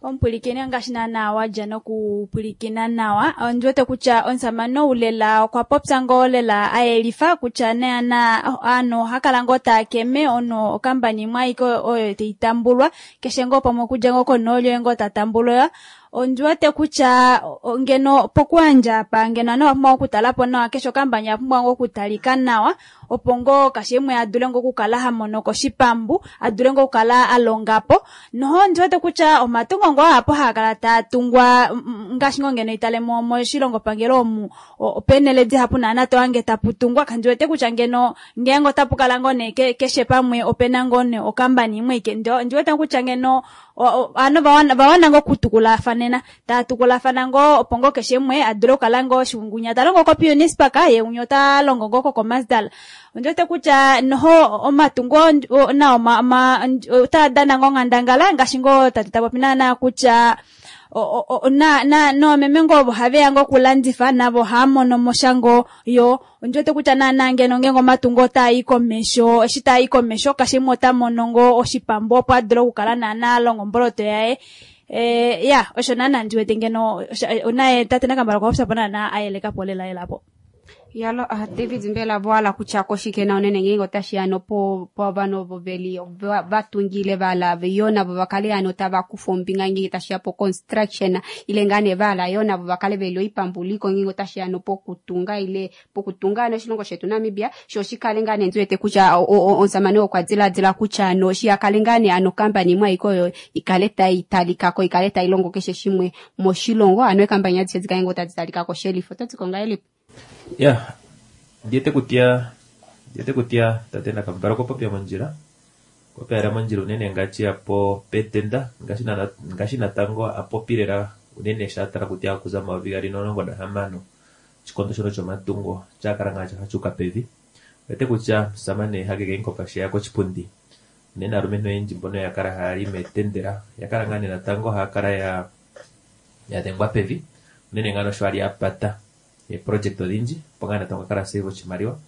omupwilikini ngaashi naana wadja nokupwilikina nawa, ondi wete kutya omusamane ou lela okwa popya ngoo lela ayelifa kutya naana ovanhu oha kala ngoo taakeme ono okambani imwe aike oyo taitambulwa keshe ngoo pamwe okudja ngoo konooli oye ngoo tatambulwa. Ondi wete kutya ngeno pokuyandja apa ngeno ovanhu ovapumbwa okutalapo nawa keshe okambani oyapumbwa ngoo okutalika nawa opo ngoo keshe umwe adule ngoo okukala hamonoko oshipambu, adule ngoo okukala alongapo. Noho ondi wete kutya omatungo ngoo ahapu haakala taatungwa ngaashi ngoo ngeno itale moshilongo pangelo omu opeenhele dihapu naana tohange taputungwa, kandi wete kutya ngeno ngeenge otapu kala ngoo nee keshe pamwe opena ngoo nee okambani imwe ike. Ondi wete kutya ngeno ovanhu vawana ngoo okutukulafanena, tava tukulafana ngoo opo ngoo keshe umwe adule okukala ngoo ngunya talongo koPioneers Park ye ngunya ota longo ngoo koKhomasdal. Ondi wete kutya noho omatungo nao otaa dana ngoo onghandangala ngaashi ngoo tate tapopi naana kutya noomeme ngoo ovo haveya ngoo okulandifa navo ohaamono mo sha ngoo yo. Ondi wete kutya naana ngeno ngeenge omatungo otaa i komesho, eshi taa i komesho keshe umwe ota mono ngoo oshipambu opo adule okukala naana alonga omboloto yaye. Ya osho naana ndi wete ngeno naye tate Nakambala okwa popya po naana ayelekapo lela lela po. Yalo David mbela voala kutya koshike na unene ngeenge otashiya nopo povanhu ovo veli vatungile vala yo navo vakale ano tava kufa ombinga ngeenge tashiya po construction ile ngaa nee vala yo navo vakale veli oipambuliko ngeenge otashiya nopokutunga ile pokutunga ano oshilongo shetu Namibia sho shikale ngaa nee ndi wete kutya omusamane okwa diladila kutya ano shiyakale ngaa nee ano okambani imwe aike oyo ikale tai talikako ikale tai longo keshe shimwe moshilongo ano eekambani adishe dikale ngoo tadi talikako shelifo. Oto ti ko ngahelipi? Ya, ndiwete kutya tate Nakambala okwa popya mondjila, okwa popya mondjila unene ngaashi yapo petenda ngaashi natango apopi lela unene sho atala kutya okuza 2016 oshikondo shono shomatungo shakala ngaa shafa pevi. Owete kutya omusamane Hage Geingob sheya koshipundi unene aalumentu oyendji mbono yakala haya li meetendela yakala ngaa nee natango haya kala ya dhengwa pevi unene ngaa nosho ali apata eeproject odhindji opo ngaa natango akala asave oshimaliwa.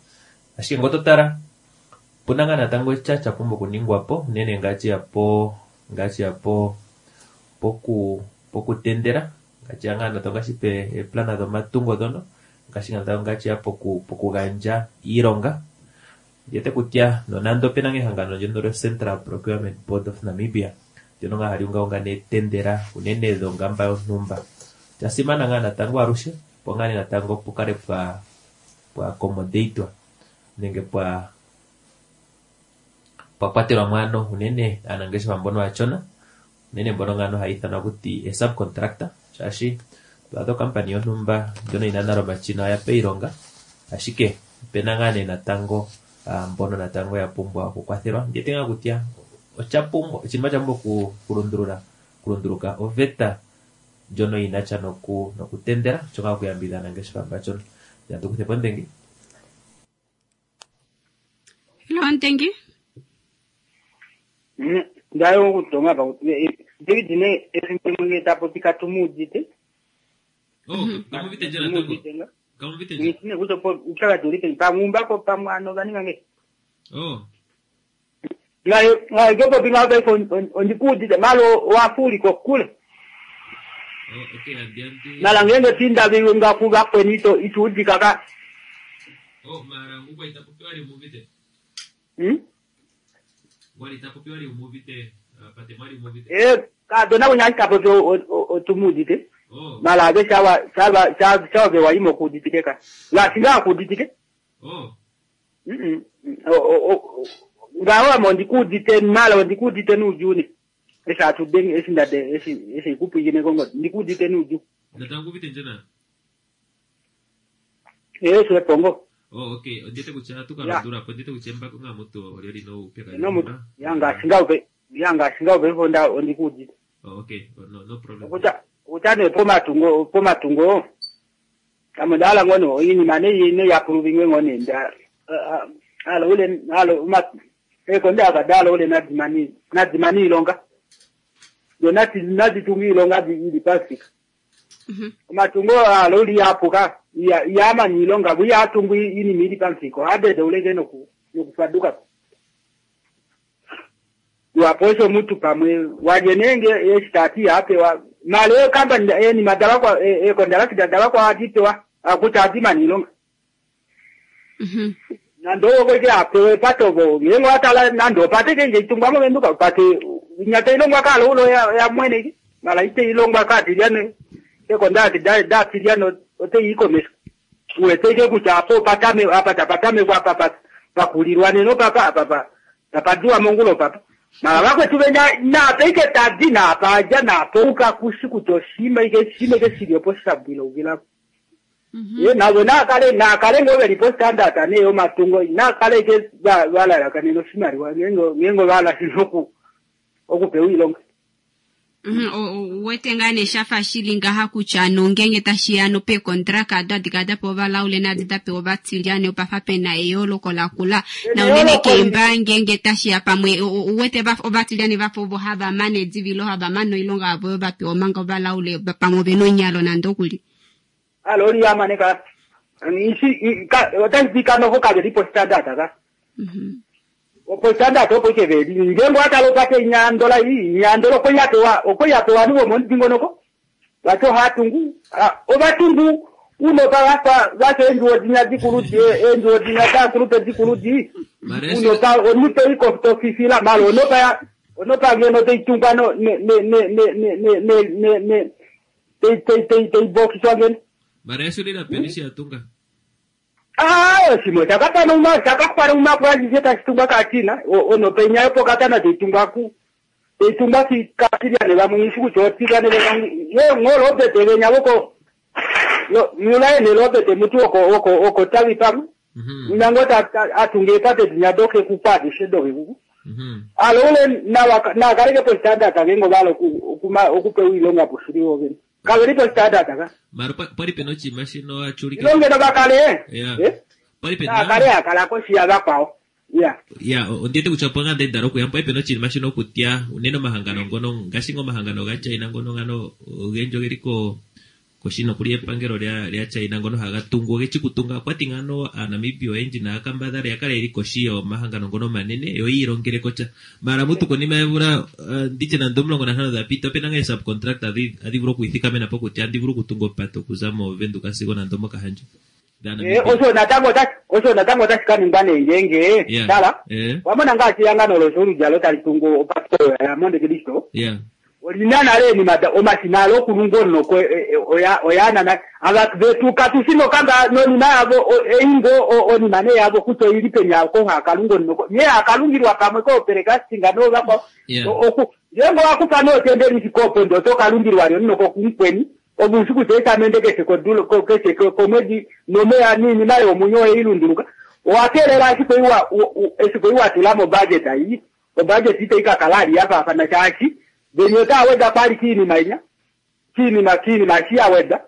Ashike ngele oto tala opuna ngaa natango sha shapumbwa okuningwapo unene ngaashi yapo pokutendela ngaashi ngaa natango ngaashi eeplana dhomatungo dhono ngaashi natango ngaashi ya pokugandja iilonga. Ndiwete kutya nonando opena ngaa ehangano ndyono lyo Central Procurement Board of Namibia ndyono ngaa hali ungaunga neetendela unene dhongamba yontumba, osha ngaa natango alushe opo ngaa nee natango pukale pwa accommodatwa nenge pwa kwatelwa mo ano unene aanangeshefa mbono aashona unene mbono ngaa haya ithanwa kuti e-subcontractor shaashi twaadha okampani yontumba ndjono yina nale omashina oya pa iilonga, ashike opena ngaa nee natango mbono natango ya pumbwa okukwathelwa. Ndiwete ngaa kutya oshapumbwa oshinima sha pumbwa okulunduluka oveta ndjono yinasha nokutendela osho ngaa okuyambidhidha aanangeshefa mbachona. Ya tukuthepo Ndengi. Hello Ndengi. Ndayo okutonga pa David ne ethimbo limwe tapopi katumuudite. Oh, kamuvite nje natango. Kamuvite nje. Ngine kuzopo uphakathi ulipe pamumba pamwe ano baninga nge. Oh. Ngayo ngayo popi ngabe ondikuudite malo wafuli kokule. Oh, okay, andianti. Mala ngenge tinda bilunga kuba kwenito ituudika ka. Oh, mara ngukwa itapopiwa ali umuvite. Wali itapopiwa ali umuvite, pate mwali umuvite. Eh, ka dona kunyaka popi otumudite. Mala ave shawa shawa shawa ve waimo kuuditike ka. Ngaashi ngaa kuuditike. Ngaho ame ondikuudite mala ondikuudite nuudjuu eshi hatu denge eshi ndade eshi eshi kupwikine kongodi ndikuudite nuudjuu. Natango uvite ndje na? Eshi epongo. Oh, okay. Ondite kutya ohatu ka Ya. landula po. Ondite kutya embako ngaa mutu olyo lina oupyakadhi. No mutu. Ya ngaashi ngaho pe ya ngaashi ngaho paife onda ondikuudite. Oh, okay. Oh, no, no problem. Okutya okutya nee pomatungo pomatungo ame onda hala ngoo nee oinima nei neiyapuluvingwe ngoo nee nda hala ule hala uma eekonde ava dahala ule nadimani nadimani iilonga do nati naditunga iilonga ili pamufika. Omatungo hala uli yapuka iyamani iilonga vuyatungu iinima ili pamufika ohadede uleke noku nokufadukapo. Waposho omuntu pamwe walye nenge eshi tati yapewa mala ekampani enima davakwa ekondalaki davakwa atipewa akuti adimani iilonga. Nande owo ke apewe patovo ngenge watala nande opate ke nje itungwa movenduka pate inyata ilongwa kalo ulo ya, ya mwene ki mala ite ilongwa katilyane ekondalaki datilyane ote ikomesa uwete ke kutya apo patame apa tapatame kwa apa pakulilwa neno papa apa pa tapadiwa mongulo papa mala vakwetu venya nape ike tadi napaja napouka kusi kuti oshima ike shima ike shiliopo shabwila uvilapo. Ye navo nakale nakale ngo velipo standard ane yo matungo nakale ke valalakane noshimaliwa ngengo ngengo vala oku okupewa iilonga. Uwete ngaa nee shafa shili ngaha kutya nongenge tashiya nopeekontraka ado hadi kala dapewa ovalaule naadi dapewa ovatilyane opafa pena eyooloko lakula na unene keemba ngenge tashiya pamwe uwete ovatilyane vafa ovo hava mane edivilo hava mane oilonga yavo oyo vapewa omanga ovalaule pamwe ovena onyalo nande okuli. Alo oli yamane ka isi ka otashi kanoho kavelipo standard ka. Opo standard opo ike veli ngengo atalo pate inyandola inyandola okwe yapewa okwe yapewa niwo momudingonoko vacho hatungu ovatungu unopa vafa vacho endjuwo dinya dikulu endjuwo dinya dakulupe dikulu di unopa onupe iko tofifila malo onopa ya onopa ngeno teitungwa no ne ne ne ne ne ne ne ne ne tei tei tei tei bokiswa ngeno. Mara esu lina penisi yatunga. Ah, shimwe chakapana uma chakakwana umapurazise tachitungwa katina onopenyayo pokatana teitungwa ku teitungwa katilyane vamwe isi kuti otikane vamwe ye ngolobete venyavoko mulaene lobete mutu oko oko oko tavi pamwe unango atunge pate dinyadoke kupadishe doke kuku. Alo ule nakaleke po standard kengo valo okupewa ilonga poshiliwo vene kavelipo standard ka. Mara pali pena oshinima shino achulike. Ilongeno vakale. Yeah. Pali pena. Nakale akalako shiya vakwao. Yeah. Ya, ondite kutya opo ngaa ndali okuya pali pena oshinima shino okutya unene omahangano ngono ngaashi ngo omahangano gaChina ngono ngano ogendji ogeli ko koshino kuli epangelo lya China ngono haga tungu ogechi kutunga okwati ngano aaNamibia oyendji naakambadhala yakale yeli koshi yomahangano ngono omanene yo yiilongele kotya. Mara mutu konima yemvula nditye nande 15 dhapita opena ngaa subcontract adhi vulu okwiithikamena po kutya andi vulu okutunga opate okuza moVenduka sigo nande omOkahandja. Osho natango osho natango otashi ka ningwa nee ngenge tala wamona ngaashi ehangano loshooludjalo tali tungu opate ya Monte Cristo. Olina nale enima omashina alo okulunga onoko oyaanana ava vetu katusino kamba nonima yavo eingo onima ne yavo kutya oili peni ako hakalunga onoko ye akalungilwa pamwe kooperekastinga novakwao oku ngengo wakupa nootendeli fikopo ndo tokalungilwa lyo noko kumukweni obusi kutya esamende keshe kodulo keshe komwedi nomeya niinima yomunyo oyeilunduluka owakeelela ashike iwa esiku iwa tula mobudget ayi obudget ite ikakala ali yafaafana shaashi venye otaweda kwali kiinima inya kiinima kiinima shiyaweda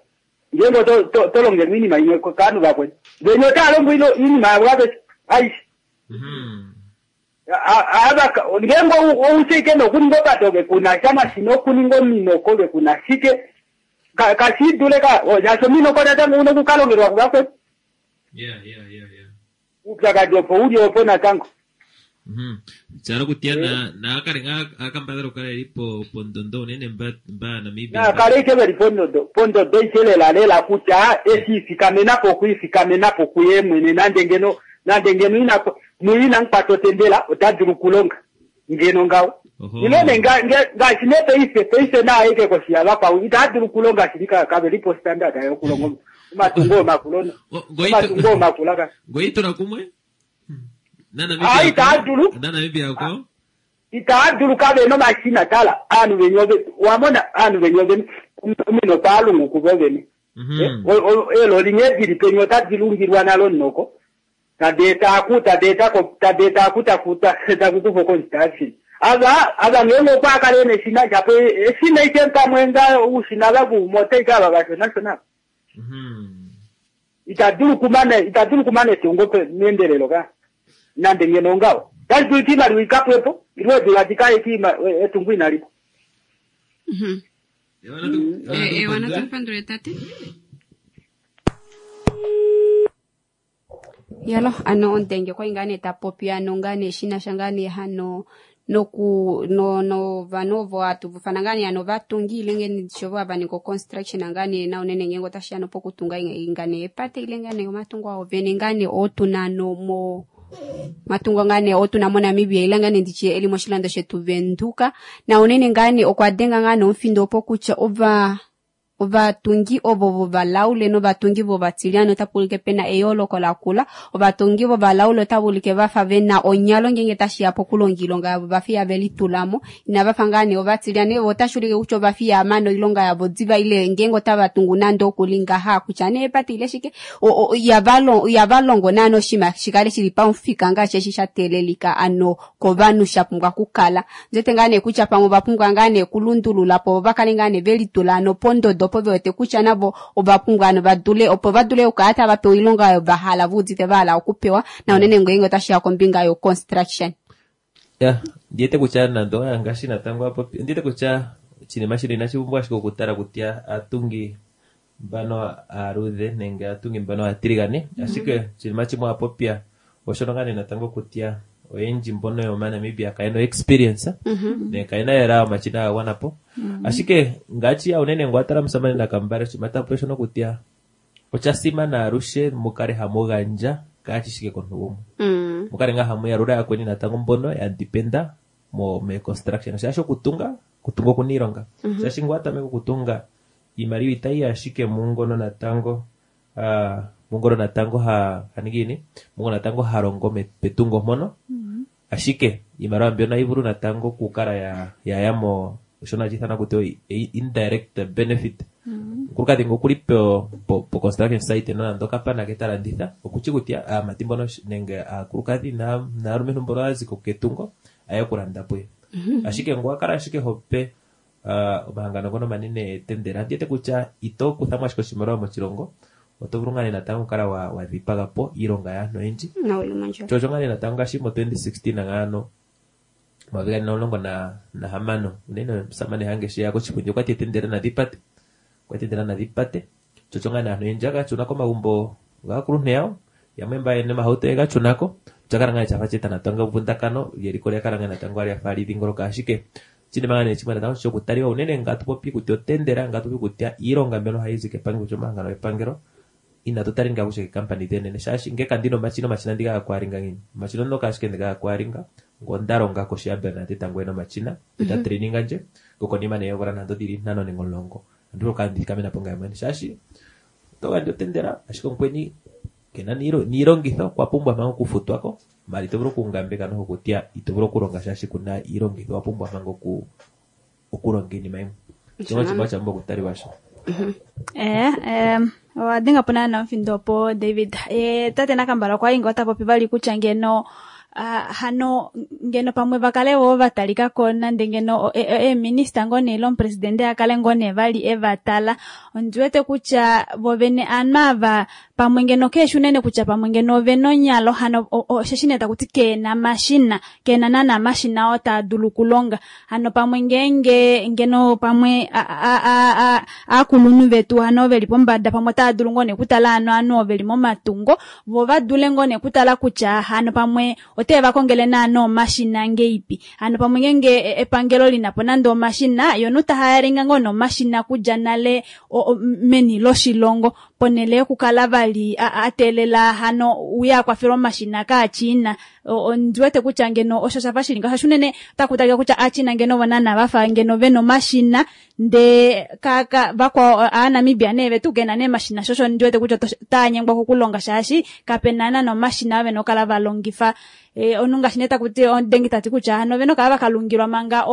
ngengo tolongela iinima imwe kanu vakweni venye otalongo iinima yavo aveshe aishe ava ngengo oushike nokuninga opato vekuna shamashina okuninga ominoko vekuna shike kashidule ka shaashi ominoko natango una okukalongelwa kuvakwetu. Uupyakadi opo uli opo natango. Tshala kutya naakale ngaa akambadhala okukala eli pondondo unene mba Namibia. Naakale ike veli pondondo pondondo ike lela lela kutya eshi ifikamenapo okwiifikamenapo kuye mwene nande ngeno nande ngeno ina muina nkwata otendela ota dulu okulonga ngeno ngawo. Ilo ne ngaashi ne paife paife naaike koshi yavakwao itaa dulu okulonga shili kave li postandard yokulonga omatungo omakula omatungo omakula ka. Ngoitula kumwe? Ah, itaa dulu. NaNamibia kwao? Itaa dulu kave nomashina tala aanhu veni ove wamona aanhu veni ove omino paalungu kuvo vene. Eeloli nghee dili peni otadi lungilwa nalo noko. Tadi eta aku tadi etako tadi eta aku taku taku kufa construction. Ava ava ngeenge okwa kala ena eshina shapo eshina ike pamwe nga uushina vavumo otaika ava vashonashona. Ita dulu kumana ita dulu kumana etungo meendelelo ka. Nande ngeno ngaho. Tashi dulika iimaliwa ikapwepo ilo eedula dikale etungo inalipo. Ewana tumupandule tate. Yalo ano ondenge kwai ngaa nee tapopi ano ngaa nee shinasha ngaa nee hano noku no no vanhu ovo hatuvufana ngaa nee hano vatungi ile ngee shovo hava ningi construction ngaa nee na unene ngeenge otashi ya pokutunga ngaa nee epate ile ngaa nee omatungo ao vene ngaa nee otuna no mo matungo ngaa nee otuna moNamibia ile ngaa nee nditye eli moshilando shetu Venduka na unene ngaa nee okwa denga ngaa nee omufindo opo kutya ova ovatungi ovo vovalaule novatungi vovatilyane otapu ulike pena eyooloko lakula. Ovatungi vovalaule otava ulike vafa vena onyalo ngeenge tashiya pokulonga oilonga yavo vafa ihave litulamo. Inava fa ngaa nee ovatilyane otashi ulike kutya ovafa ihamana oilonga yavo diva ile ngeenge otava tungu nande okuli ngaha kutya nee epate ile shike ihava longo naana oshinima shikale shili pamufika ngaashi eshi sha teelelika ano kovanhu sha pumbwa okukala. Ndiwete ngaa nee kutya pamwe ova pumbwa ngaa nee okulundulula po va kale ngaa nee velitula ano pondodo opo ve wete kutya navo ova pumbwa ano vadule opo va dule okukala tava pewa oilonga oyo va hala ve udite va hala okupewa na unene ngeenge otashi ya kombinga yo construction. Ya, ndiwete kutya nando ngaashi natango apopi ndiwete kutya oshinima shino inashi pumbwa ashike okutala kutya aatungi mbano aaludhe nenge aatungi mbano aatiligane, ashike oshinima shimwe apopya oshono ngaa nee natango kutya oyendji mbono yomaNamibia kayena experience ne kayena lela omashina ga gwana po. Ashike ngaashi ya unene ngo atala musamane Nakambale oshinima tapopi oshono kutya osha simana alushe mukale hamu gandja kaashi shike komuntu gumwe. Mukale ngaa hamu yalula yakweni natango mbono ya dependa mo me construction. Shaashi okutunga, okutunga okuna iilonga. Shaashi ngo atameka okutunga iimaliwa itayi ashike mungono natango mungono natango ha haningi ini mungono natango ha longo petungo mpono. Ashike iimaliwa mbyono ohayi vulu natango okukala ya ya mo shono hashi ithanwa kutya indirect benefit. Omukulukadhi ngo okuli po po construction site nonando kapana ke ta landitha okushi kutya aamati mbono nenge aakulukadhi naalumentu mbono ya ziko ketungo aye okulanda puye. Ashike ngo kala ashike hope omahangano ngono omanene etendela ndiwete kutya ito kuthamo ashike oshimaliwa moshilongo oto vulu ngaa nee natango okukala wa dhipaga po iilonga yaantu oyendji. Sho osho ngaa nee natango ngaashi mo 2016 ngaano 2016 unene omusamane Hage sho eya koshipundi okwati etendela nadhi pate. Okwati etendela nadhi pate. Sho osho ngaa nee aantu oyendji ya ka shuna komagumbo gaakuluntu yawo yamwe mba yena omahauto ye ga shunako. Osha kala ngaa nee shafa sheeta natango evundakano lyeliko lya kala ngaa natango lyafa hali dhingoloka ashike oshinima ngaa nee shimwe natango shokutaliwa unene nga tupopi kutya otendela nga tupopi kutya iilonga mbyono hayi zi kepangelo kutya omahangano gepangelo inatu tali ngaa kutya keekampani dhenene shaashi nge kandina omashina omashina ndi ga kwalinga ngiini omashina onoka ashike ndi ga kwalinga ngo onda longa koshi ya Bernadette tango ena omashina eta traininga ndje ngokonima nee yoomvula nando dhili 5 nenge 10 andi vulu okukala ndithikamena po ngaye mwene shaashi oto gandja otendela ashike omukweni kena niilongitho okwa pumbwa manga okufutwa ko mali ito vulu okungambeka nokutya ito vulu okulonga shaashi kuna iilongitho wa pumbwa manga okulonga iinima yimwe. Osho oshinima sha pumbwa okutaliwa sho. Owa dhenga po naana omufindo opo David. Tate Nakambala okwa li ngoo ta popi vali kutya ngeno hano ngeno pamwe va kale wo va talika ko nande ngeno eeminista ngoo nee ile omupresidente a kale ngoo nee vali e va tala. Ondi wete kutya vo vene aanhu ava pamwe ngeno keeshi unene kutya pamwe ngeno ove na onyalo hano osheshi nee taku ti keena mashina keena naana amashina oo taa dulu okulonga. Hano pamwe ngeenge ngeno pamwe aakulunhu vetu hano veli pombada pamwe otava dulu ngoo nee okutala hano ovanhu ovo veli momatungo vo va dule ngoo nee okutala kutya hano pamwe ote va kongele naana omashina ngeipi. Hano pamwe ngeenge epangelo lina po nande omashina yo nomuntu tahayalinga ngoo nomashina kudja nale meni loshilongo ponele yokukala vali ali a teelela hano uye a kwafelwa omashina kaaChina. Ondi wete kutya ngeno osho shafa shili ngaho, shaashi unene otaku talika kutya aaChina ngeno ovo naana vafa ngeno vena omashina, ndee vakwao aaNamibia nee vetu kena nee omashina, sho osho ndi wete kutya otava nyengwa kokulonga shaashi kapena naana omashina avo vena okukala va longifa. Omunhu ngaashi nee taku ti omudengi tati kutya hano ovena okukala vakalungilwa manga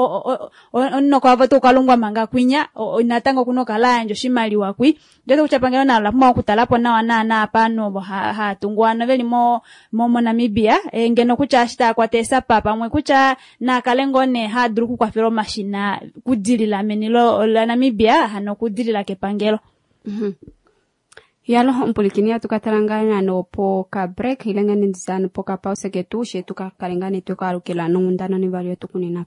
omunoko wavo otau kalungwa manga kwinya, natango okuna okukala ayandja oshimaliwa kwi. Ndi wete kutya epangelo nalo ola pumbwa okutala po nawa naana apa ovanhu ovo hava tungu hano veli moNamibia, ngeno kutya eshi tava kwata eesapa pamwe kutya naa kale ngoo nee haa dulu okukwafela omashina kudilila meni laNamibia, hano okudilila kepangelo. Yalo omupulikini atu ka tala ngaa nano poka break ile ngaa nendisa ano poka pause ketu she tu ka kale ngaa nee tweka alukila nonghundana onivali yetu kunena.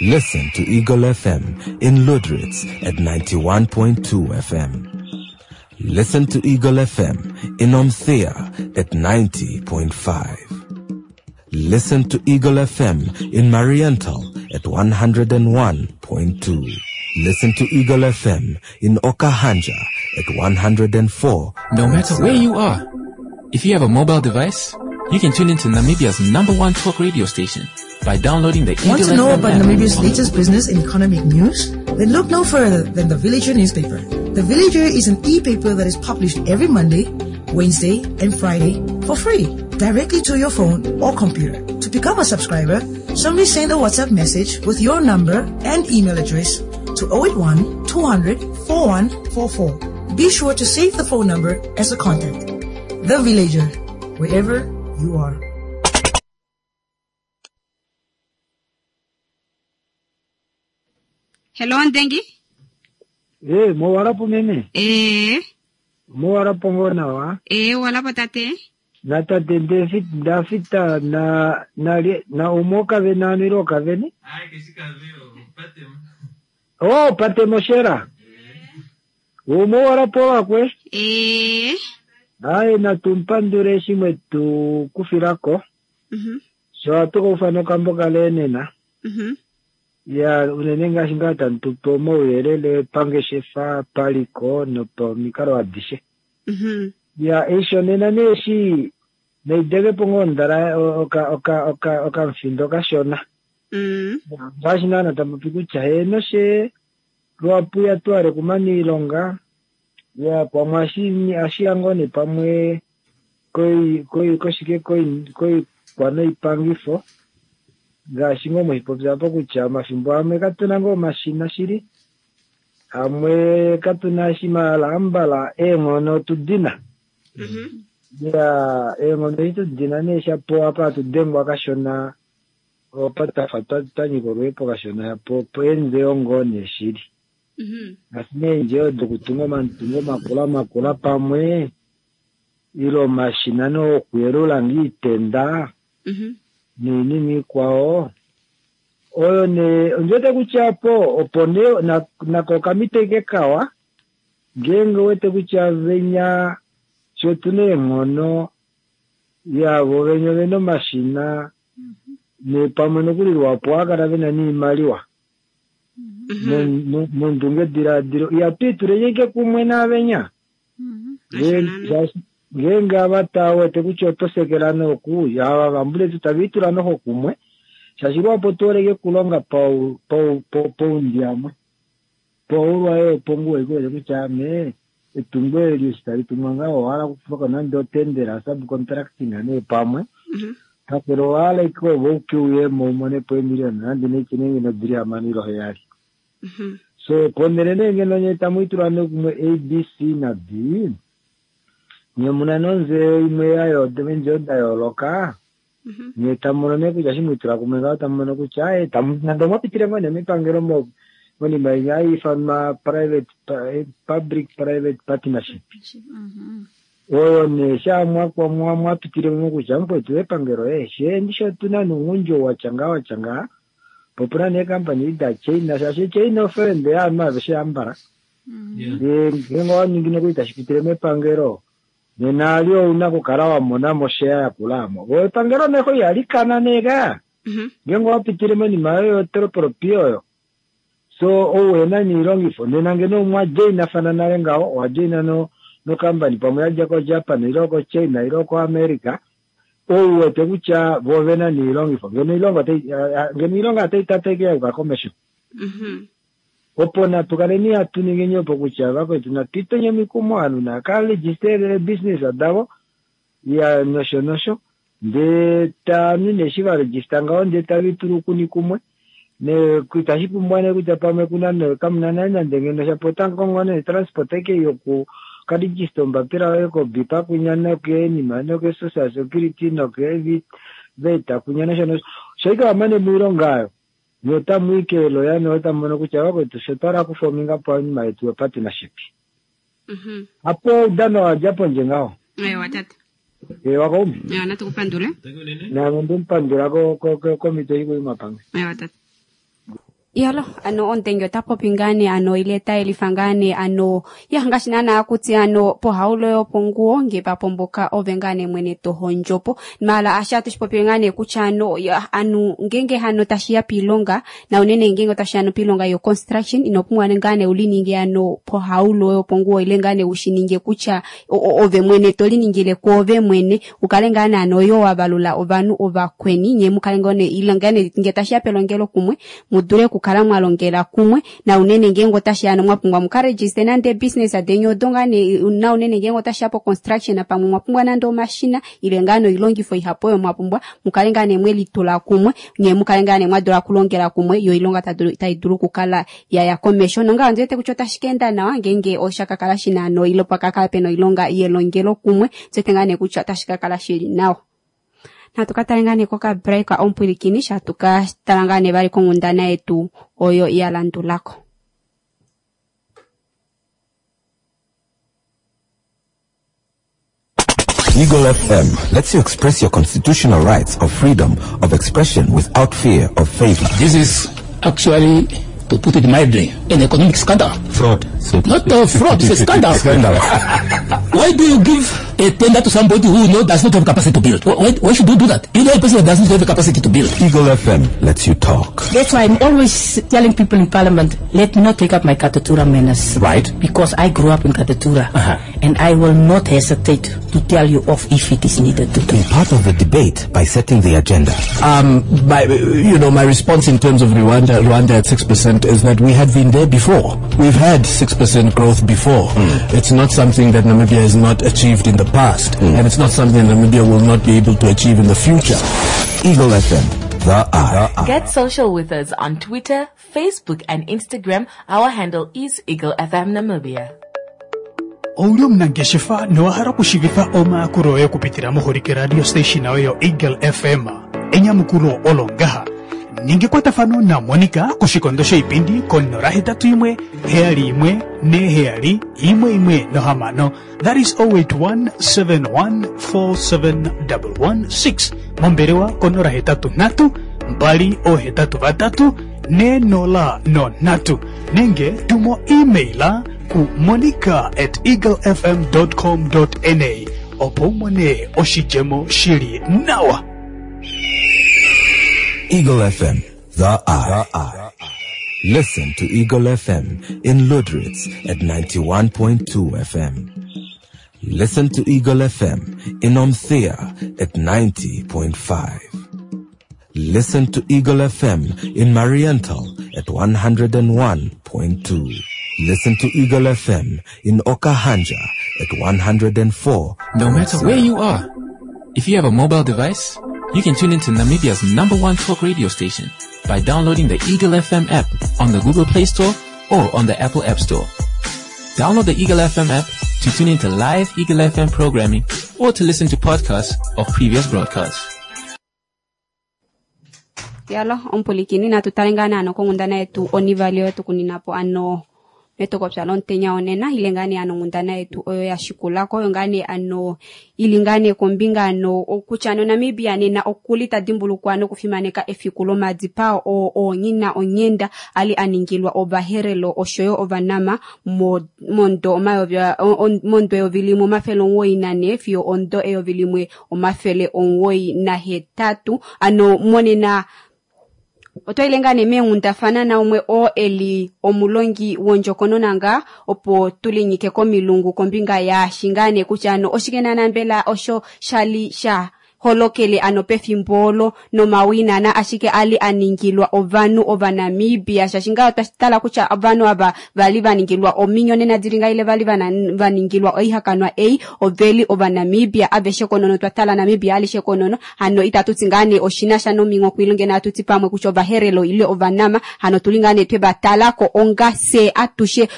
Listen to Eagle FM in Lüderitz at 91.2 FM. Listen to Eagle FM in Omuthiya at 90.5. Listen to Eagle FM in Mariental at 101.2. Listen to Eagle FM in Okahandja at 104. No matter where you are, if you have a mobile device, you can tune into Namibia's #1 talk radio station by downloading the Eagle Want to know FM about app Namibia's on the latest business and economic news? Then look no further than the Villager newspaper. The Villager is an e-paper that is published every Monday, Wednesday, and Friday for free, directly to your phone or computer. To become a subscriber, simply send a WhatsApp message with your number and email address to 081 200 4144. Be sure to save the phone number as a contact. The Villager, wherever you are. Hello, Ndengi. Mowalapo meme. Mowalapo ngoo nawa. Walapo tate. Na tate David, David na, na, na umwe okavene ano ile okavene? Oh, pate moshera. Umwe walapo wakwe? Aye, natumpandule eshi mwetu kufilako. Sho atu kaufana okambo kale nena. Ya, unene ngaashi ngaa tamu tupe omauyelele pangeshefa, paliko nopamikalo adishe. Ya, eisho nena nee eshi naidekepo ngoo ondala okamufindo kashona. Ngaashi naana tamu popi kutya heeno she lwapu ya twale kumaniilonga, ya pamwe ashiya ngoo nee pamwe koshike koikwanoipangifo. Ngaashi ngoo mwehipopya apo kutya omafimbo amwe katuna ngoo omashina shili, amwe katuna shimala ambala eenghono tudina. Ya, eenghono edi tudina nee shapo apa atudengwa kashona, opa tafa twanyika olweepo kashona, shapo opo eendjo ngoo nee shili. Ngaashi nee eendjo dokutunga omatungo makula makula pamwe, ile omashina nee okuyelula ngoo iitenda, noinima ikwao. Oyo nee, ondi wete kutya po, opo nee, nako okamiteke kawa, ngeenge wete kutya venya, sho tuna eenghono, yavo venya ovena omashina, ne pamwe nokuli lwapo ohava kala vena niimaliwa. Nondunge diladilo, ihatu ituleni ashike kumwe naavenya. Ngeenge ava tava wete kutya oto sekela noku, ava vambuletu tava itula noho kumwe, shaashi lwapo tu holeke kulonga paundiamwe. Paulwa opo ngu wete kutya ame, etungo eli eshi tali tungwa ngaho, owa hala okufako nande otendera, subcontracting nee pamwe. Kakele owa hala ike ove uke uye mo umone po emiliyoni nande neche nenge nodili hamano ile heyali. So, ponele nee ngeno nye tamu itula nee kumwe A, B, C na D, nye muna nonze imwe yayo, eendjo da yooloka, nye tamu mono nee kutya eshi mwitula kumwe ngaho, tamu mono kutya, tamu, nande omwa pitile ngoo nee mepangelo monima inya hai ifanwa private, public private partnership. Oyo nee sha mwa pitile mo kutya mukwetu epangelo, she ndisho tuna noungundjo watya ngaa, watya ngaa. Po puna nee company da China, shaashi China ofriend yaanhu aveshe ambala. Ngeenge owa ningi nokuli tashi pitile mepangelo, Nena ali ouna okukala wa mona mo share yakula amo. Vo epangelo neho ihali kana nee ka. Ngeenge owa pitile monima yoyo yotriple P oyo. So ou ehena niilongifo nena ngeno omwa joinafana nale ngaho, owa joina no nocompany pamwe yadja ko Japan ile oko China ile oko America, ou wete kutya vo ovena niilongifo ngeno oilonga otai ngeno oilonga otai tateke ya yuka komesho. Opo natu kaleni hatu ningeni opo kutya vakwetu natu itwenye omikumo ovanhu nava ka register eebusiness davo ya nosho nosho ndee taanhu nee eshi va register ngaho ndee tave itula ukuni kumwe ne itashi pumbwa nee kutya pamwe kuna nee kamuna nale nande ngeno shapo otamu kongo nee transport aike yoku ka register ombapila yoye ko BIPA kwinya nokeenima noke social security noke VAT kwinya nosho nosho sho ike wamane moilonga aayo nye otamu i keeloya ne otamu mono kutya vakwetu fye otwa hala okufominga po oinima yetu yo partnership. Hapo oudano wa dja pondje ngaho. Ewa tata. Ewa kaume. Ewa natu ku pandule. Naame onde mu pandula ko ko ko komhito ei kuima pamwe. Ewa tata. Iyalo, ano omutenge ota popi ngaa nee ano ile ta yelifa ngaa nee ano ya ngaashi naanaa kutya ano pohaulo yoponguwo nge pa pomboka ove ngaa nee mwene to hondjo po. Maala ashi atu shi popile ngaa nee kutya ano ya, anu ngeenge hano tashi ya piilonga na unene ngeenge otashi ya no piilonga yo construction ino pumbwa ngaa nee uli ninge ano pohaulo yoponguwo ile ngaa nee ushi ninge kutya ove mwene to liningile kwoove mwene u kale ngaa nee ano yo wa valula ovanhu ovakweni nye mu kale ngoo nee ile ngaa nee nge tashi ya pelongelo kumwe mu dule okukala mwa longela kumwe na unene ngeenge otashi ya mwa pumbwa mu ka register nande business deni odo ngaa nee na unene ngeenge otashi ya po construction pamwe mwa pumbwa nande omashina ile ngaa noilongifo ihapu oyo mwa pumbwa mu kale ngaa nee mwe litula kumwe nye mu kale ngaa nee mwa dula okulongela kumwe yo oilonga tai dulu okukala ya ya komesho nonga ondi wete kutya otashi ka enda nawa ngeenge osha ka kala shi na noilo pa ka kala pena oilonga yelongelo kumwe ondi wete ngaa nee kutya otashi ka kala shili nawa. Natu ka tale ngaa nee kokabreak omupwilikini sha tu ka tala ngaa nee vali konghundana yetu oyo ya landulako. Eagle FM lets you express your constitutional rights of freedom of expression without fear of favor. This is actually, to put it mildly, an economic scandal. Fraud. So Not a fraud, it's a scandal. Scandal. Why do you give a tender to somebody who does not have capacity to build? Why should you do that? You know a person that doesn't have the capacity to build. Eagle FM lets you talk. That's why I'm always telling people in Parliament, let me not take up my Katutura manners. Right. Because I grew up in Katutura. And I will not hesitate to tell you off if it is needed to do. Be part of the debate by setting the agenda. My response in terms of Rwanda at 6% is that we had been there before. We've had 6% growth before. It's not something that Namibia has not achieved in the past, and it's not something that Namibia will not be able to achieve in the future. Eagle FM, the eye. Get social with us on Twitter, Facebook and Instagram. Our handle is Eagle FM Namibia. Ouli omunangeshefa nowa hala okushiivifa omayakulo oye okupitila moholike radio station yoye yo Eagle FM? Enyamukulo olo ngaha. Ninga ekwatafano naMonica koshikondo shoipindi ko 081 71 47 116. That is 0817147116 mombelewa ko 083 283 403 nenge tumo email ku monica@eaglefm.com.na opo u mone oshidjemo shili nawa. Eagle FM, the eye. Listen to Eagle FM in Lüderitz at 91.2 FM. Listen to Eagle FM in Omuthiya at 90.5. Listen to Eagle FM in Mariental at 101.2. Listen to Eagle FM in Okahandja at 104. No matter where you are, if you have a mobile device, you can tune into Namibia's #1 talk radio station by downloading the Eagle FM app on the Google Play Store or on the Apple App Store. Download the Eagle FM app to tune into live Eagle FM programming or to listen to podcasts of previous broadcasts. Yalo, ompulikini, natu tale ngaa naano konghundana yetu onivali oyo tukunina po ano Metokopya lomutenya wonena ile ngaa nee ano onghundana yetu oyo ya shikulako oyo ngaa nee ano ili ngaa nee kombinga ano kutya ano Namibia nena okuli ta dimbulukwa nokufimaneka efiku lomadipao oo oonyina onghenda ali a ningilwa ovaherero oshoyo ovanama momudo 1994 fiyo omudo 1998. Ano monena otwaile ngaa nee meenghundafana naumwe oo eli omulongi wondjokonona ngaa opo tulinyike komilungu kombinga yaashi ngaa nee kutya ano oshike naana mbela osho shali sha holokele ano pefimbo olo nomawinana ashike ali a ningilwa ovanhu ovanamibia, shaashi ngaa otwa tala kutya ovanhu ava vali va ningilwa ominyonena dili ngaa ile vali va ningilwa oihakanwa ei oveli ovanamibia aveshe konono, twa tala Namibia alishe konono. Hano itatu ti ngaa nee oshina sha nomingo kwilonge na atuti pamwe kutya ovaherero ile ovanama, hano tuli ngaa nee twe va talako onga se atushe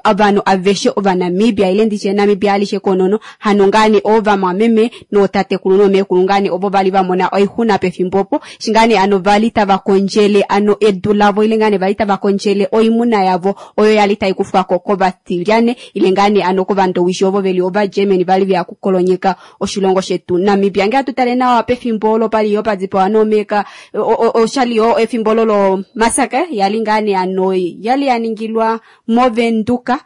ovanhu aveshe ovanamibia ile ndiche Namibia alishe konono. Hano ngaa nee ovamwameme nootatekulu nomeekulu ngaa nee ovo vali va mona oixuna pefimbo opo, eshi ngaa nee ano vali tava kondjele ano edu lavo ile ngaa nee vali tava kondjele oimuna yavo oyo yali tai kufwako kovatilyane ile ngaa nee ano kovandowishi ovo veli ovagermany vali veya kukolonyeka oshilongo shetu Namibia. Ngee atu tale nawa pefimbo olo pali yo padipawa noomeka oshali yo efimbo olo lo massacre yali ngaa nee ano yali ya ningilwa moVenduka.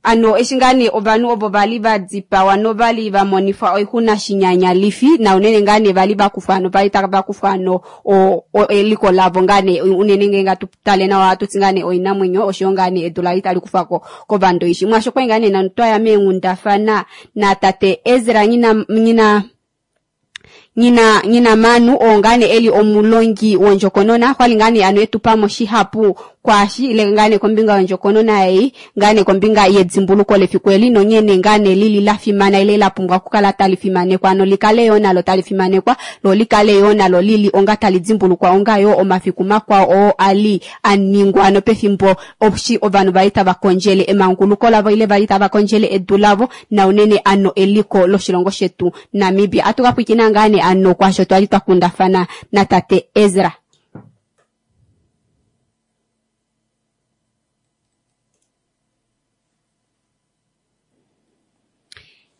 Ano eshi ngaa nee ovanhu ovo vali va dipawa novali va monifwa oixuna shinyanyalifi na unene ngaa nee vali va kufwa ano vali tava kufwa ano eliko lavo ngaa nee unene ngee ngatu tale nawa atuti ngaa nee oinamwenyo oshoyo ngaa nee edu lali tali kufwa ko kovandoishi. Mwaasho kwali ngaa nee nanu twaya meenghundafana na tate Ezra nyina Manu oo ngaa nee eli omulongi wondjokonona, kwali ngaa nee ano etupamo shihapu kwaashi ile ngaa nee kombinga yondjokonona ei ngaa nee kombinga yedimbuluko lefiku eli nonghene ngaa nee lili la fimana ile la pumbwa okukala tali fimanekwa, ano likale yo nalo tali fimanekwa lo likale yo nalo lili onga tali dimbulukwa onga yo omafiku makwao oo ali a ningwa ano pefimbo oshi ovanhu vali tava kondjele emanguluko lavo ile vali tava kondjele edu lavo na unene ano eliko loshilongo shetu Namibia. Atu ka pwiikina ngaa nee ano kwaasho twali twa kundafana na tate Ezra.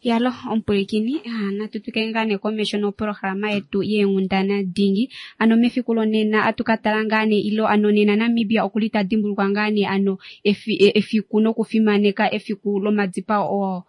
Yalo ompwilikini, natu twike ngaa nee komesho noprograma yetu yeenghundana dingi. Ano mefiku lonena atu ka tala ngaa nee ilo ano nena Namibia okuli ta dimbulukwa ngaa nee ano efiku nokufimaneka efiku lomadipao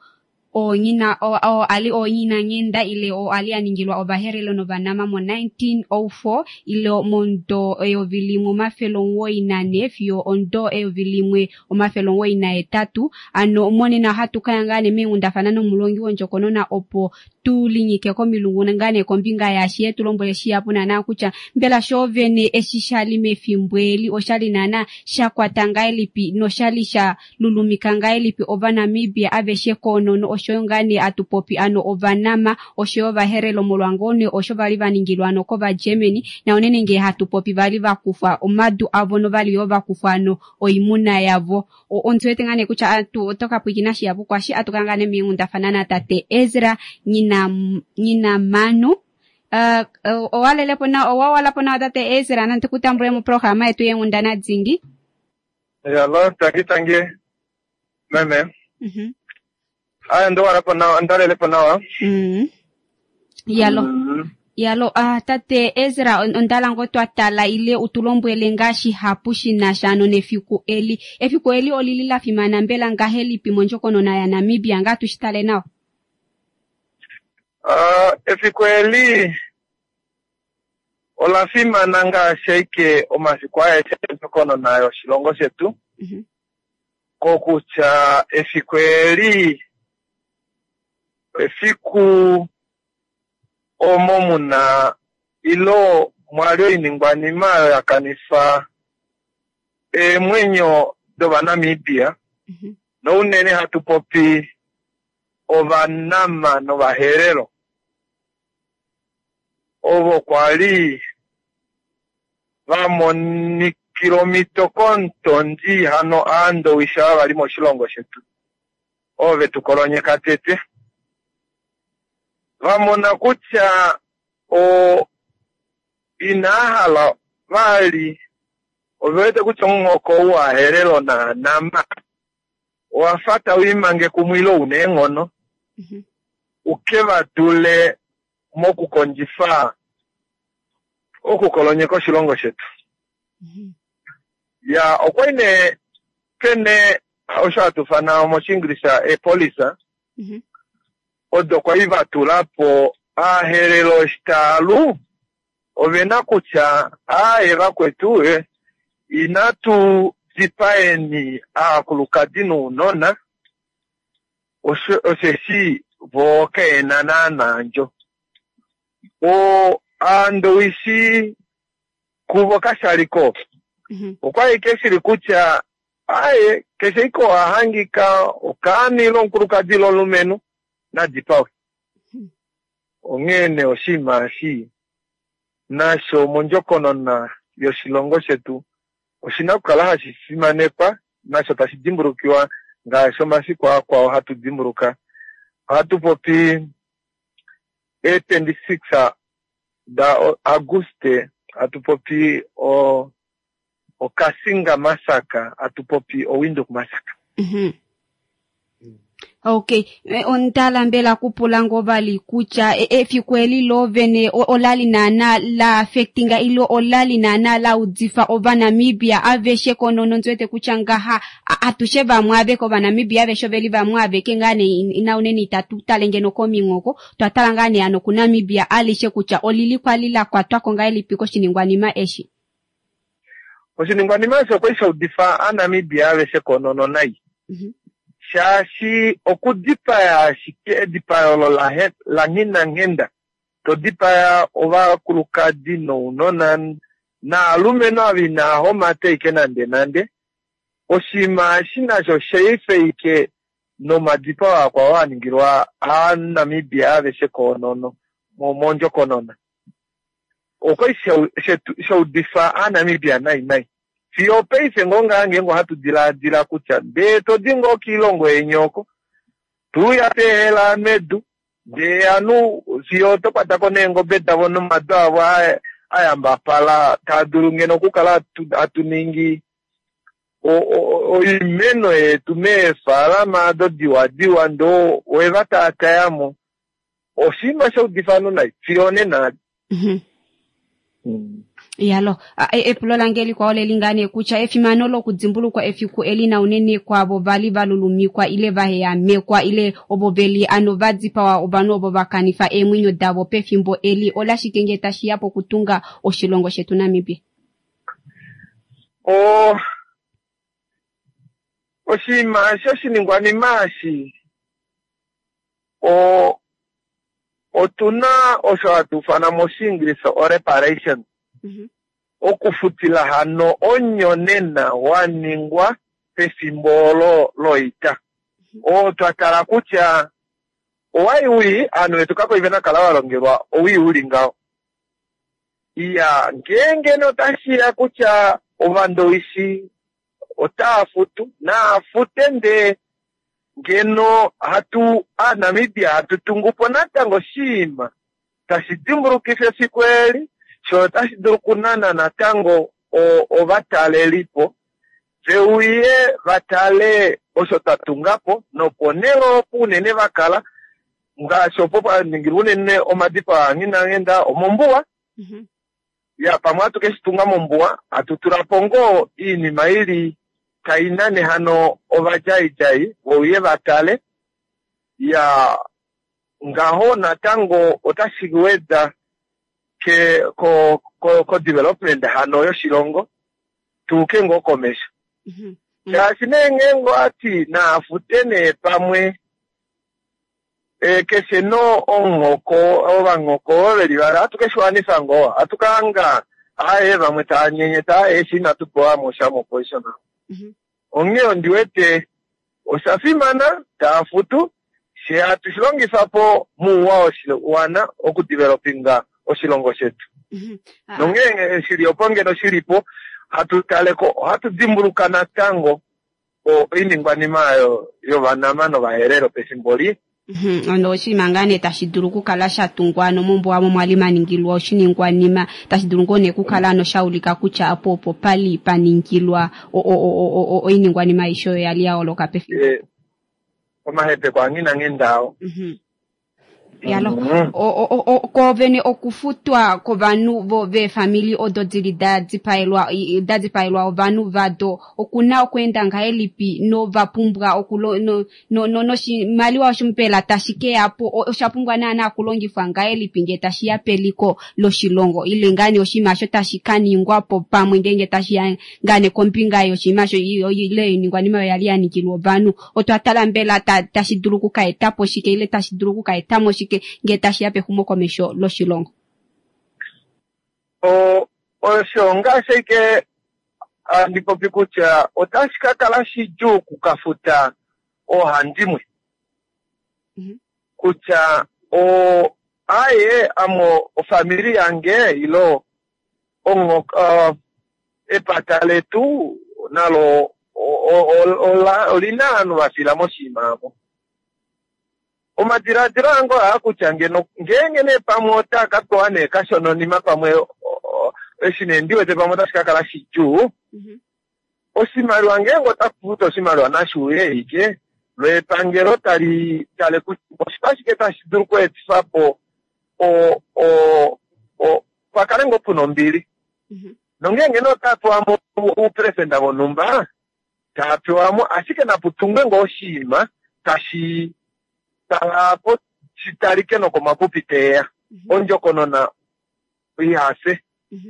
oonyina o ali oonyina nghenda ile o ali a ningilwa ovaherero novanama mo 1904 ile momudo 1994 fiyo omudo 1998. Ano monena ohatu kaya ngaa nee meenghundafana nomulongi wondjokonona opo tulinyike komilungu ngaa nee kombinga yaashi ye tulombwele shihapu naana kutya mbela shoovene eshi shali mefimbo eli oshali naana sha kwata ngahelipi noshali sha lulumika ngahelipi ovanamibia aveshe koonono oshoyo ngaa nee atupopi ano ovanama oshoyo ovaherero molwangone osho vali va ningilwa ano kovagermany na unene ngee hatupopi vali va kufwa omadu avo novali yo va kufwa ano oimuna yavo. Ondi wete ngaa nee kutya atu otoka pwiikina shihapu kwashi atu kala ngaa nee meenghundafana na tate Ezra nyina Manu. Owalelepo na owawalapo nawa tate Ezra nante kutambule moprograma yetu yeenghundana dingi. Yalo tangi tangi meme. Aya ndo walapo nawa ndalelepo nawa. Yalo. Yalo tate Ezra ondala ngo twatala ile utulombwele ngaa shihapu shinasha ano nefiku eli. Efiku eli olili la fimana mbela ngahelipi mondjokonona ya Namibia ngaa tushitale nawa? Efiku eli ola fimana ngaashi ashike omafiku aeshe ondjokonona yoshilongo shetu. Kokutya efiku eli efiku omo muna ilo mwali oiningwanima oyo ya kanifa eemwenyo dovanamibia. Nounene hatu popi ovanama novaherero ovo kwali va monikila omhito komutondi hano aandowishi ava vali moshilongo shetu ovo vetu kolonyeka tete va mona kutya inaa hala vali ove wete kutya omuhoko ou waherero naanama Owa fa tau imange kumwe ile u na eenghono u ke va dule mokukondjifa okukolonyeka oshilongo shetu. Ya, okwa li nee pe na osho hatu ifana mOshiingilisa eepolisa, odo kwa li va tula po aaherero eshi taa lu, ove na kutya, Aaye vakwetu, inatu dipaeni aakulukadi nounona, osheshi vo kae na naanaa ondjo. O Aandowishi kuvo kasha li ko. Okwa li ashike shili kutya, aaye, keshe ashike oo a hangika okaana ile omukulukadi ile omulumenhu, na dipawe. Onghee nee oshinima eshi nasho mondjokonona yoshilongo shetu oshi na okukala hashi fimanekwa nasho tashi dimbulukiwa ngaashi omafiku akwao hatu dimbuluka. Ohatu popi ee 26 da Aguste, hatu popi o oKassinga Massacre, hatu popi oWindhoek Massacre. Okay, eh, ondala mbela kupula ngoo vali kutya e- efiku eli loovene o- olali naana la affectinga ile olali naana la udifa Ovanamibia aveshe konono ndi wete kutya ngaha a- atushe vamwe aveke Ovanamibia aveshe oveli vamwe aveke ngaa nee ina unene itatu tale ngeno kominghoko twa tala ngaa nee ano kuNamibia alishe kutya olili kwali la kwatwa ko ngahelipi koshiningwanima eshi. Oshiningwanima eshi okwa li sha udifa Aanamibia aveshe konono nai, shaashi okudipaya ashike edipayo olo la nghinanghenda, to dipaya ovakulukadi nounona naalumenhu ava inaa homata ashike nandenande, oshinima eshi nasho osha ashike nomadipao akwao a ningilwa Aanamibia aveshe koonono mondjokonona. Okwa li sha udifa Aanamibia nai nai. Fiyo opaife ngoo ngaa ngeenge ohatu dilaadila kutya ndee to di ngoo kiilongo yeni oko, to uya peehela medu, ndee anu fiyo oto kwata ko neengobe davo nomadu avo a yambapala taa dulu ngeno okukala hatu ningi oimeno yetu meefaalama ado diwadiwa ndoo owe va taataya mo. Oshinima sha udifa ovanhu nai fiyo onena. Yalo, epulo lange likwao leli ngaa nee kutya efimano lokudimbulukwa efiku eli na unene kwaavo va li va lulumikwa ile va heyamekwa ile ovo ve li ano va dipawa ovanhu ovo va kanifa eemwenyo davo pefimbo eli olashike ngee tashi ya pokutunga oshilongo shetu Namibia? O, oshinima shoshiningwanima eshi O, otu na osho hatu ufana mOshiingilisa oreparation, okufutila hano omunyonena wa ningwa pefimbo olo loita. Oo twa tala kutya owai wii, ovanhu vetu kakwa li ve na kala va longelwa owii u li ngaho. Iya, ngeenge nee otashi ya kutya Ovandowishi otaa futu, naa fute ndee ngeno hatu Aanamibia hatu tungu po natango oshinima tashi dimbulukifa efiku eli, sho otashi dulu okunana natango ovatalelipo ve uye va tale osho twa tunga po, noponhele opo unene va kala, ngaashi opo pa ningilwa unene omadipao a Nghinanghenda, omombuwa. Ya, pamwe ohatu ke shi tunga mombuwa, hatu tula po ngoo iinima i li tai nane hano ovadjaidjai ve uye va tale. Ya, ngaho natango otashi weda ke, ko, ko, ko development hano yoshilongo, tu uke ngoo komesho. Shaashi nee ngeenge owati naa fute nee pamwe E, keshe no omuhoko, ovanghoko ovo ve li vali, ohatu ke shi wanifa ngoo? Ohatu ka hanga aaye vamwe tava nyenyeta, aaye eshi inatu pewa mo sha moposition omo. Onghee ondi wete osha fimana, taa futu, fye hatu shi longifa po mouwa woshiwana okudevelopinga oshilongo shetu. Nonghee shi li opo ngeno shi li po, hatu tale ko, ohatu dimbuluka natango oiningwanima oyo yOvanama nOvaherero pefimbo li. Ono oshinima ngaa nee tashi dulu okukala sha tungwa ano mombuwa omo mwali maningilwa oshiningwanima tashi dulu ngoo nee okukala ano sha ulika kutya apo opo pali pa ningilwa oiningwanima aishe oyo yali ya holoka pefimbo. Omahepeko a nghi na nghenda ao. Yalo koovene okufutwa kovanhu vo veefamili odo dili da dipaelwa da dipaelwa ovanhu vado okuna okweenda ngahelipi nova pumbwa okulo no no no noshimaliwa osho mbela tashi ke ya po osha pumbwa naana okulongifwa ngahelipi ngee tashi ya peliko loshilongo ile ngaa nee oshinima osho tashi ka ningwa po pamwe ngeenge tashi ya ngaa nee kombinga yoshinima osho ile oiningwanima oyo yali ya ningilwa ovanhu otwa tala mbela ta, tashi dulu oku ka eta po shike ile tashi dulu oku ka eta mo shike ngee tashi ya pexumokomesho loshilongo? O, osho ngaashi ashike handi popi kutya otashi ka kala shidjuu oku ka futa oohandimwe kutya o, aaye ame ofamili yange ilo ongo, epata letu nalo olina ovanhu va fila moshinima omo. Omadiladilo ange ohaa kutya ngeno ngeenge nee pamwe otaa ka pewa nee kashononima pamwe eshi nee ndi wete pamwe otashi ka kala shidjuu. Oshimaliwa ngeenge ota futa oshimaliwa nashi uye ike lo epangelo tali tale kutya oshike tashi dulu okweetifa po pa kale ngoo puna ombili. Nongeenge nee ota pewa mo ouperesenda vonhumba, taa pewa mo, ashike napu tungwe ngoo oshinima tashi kala po shi talike nokomapupi teya. Ondjokonona ihafye.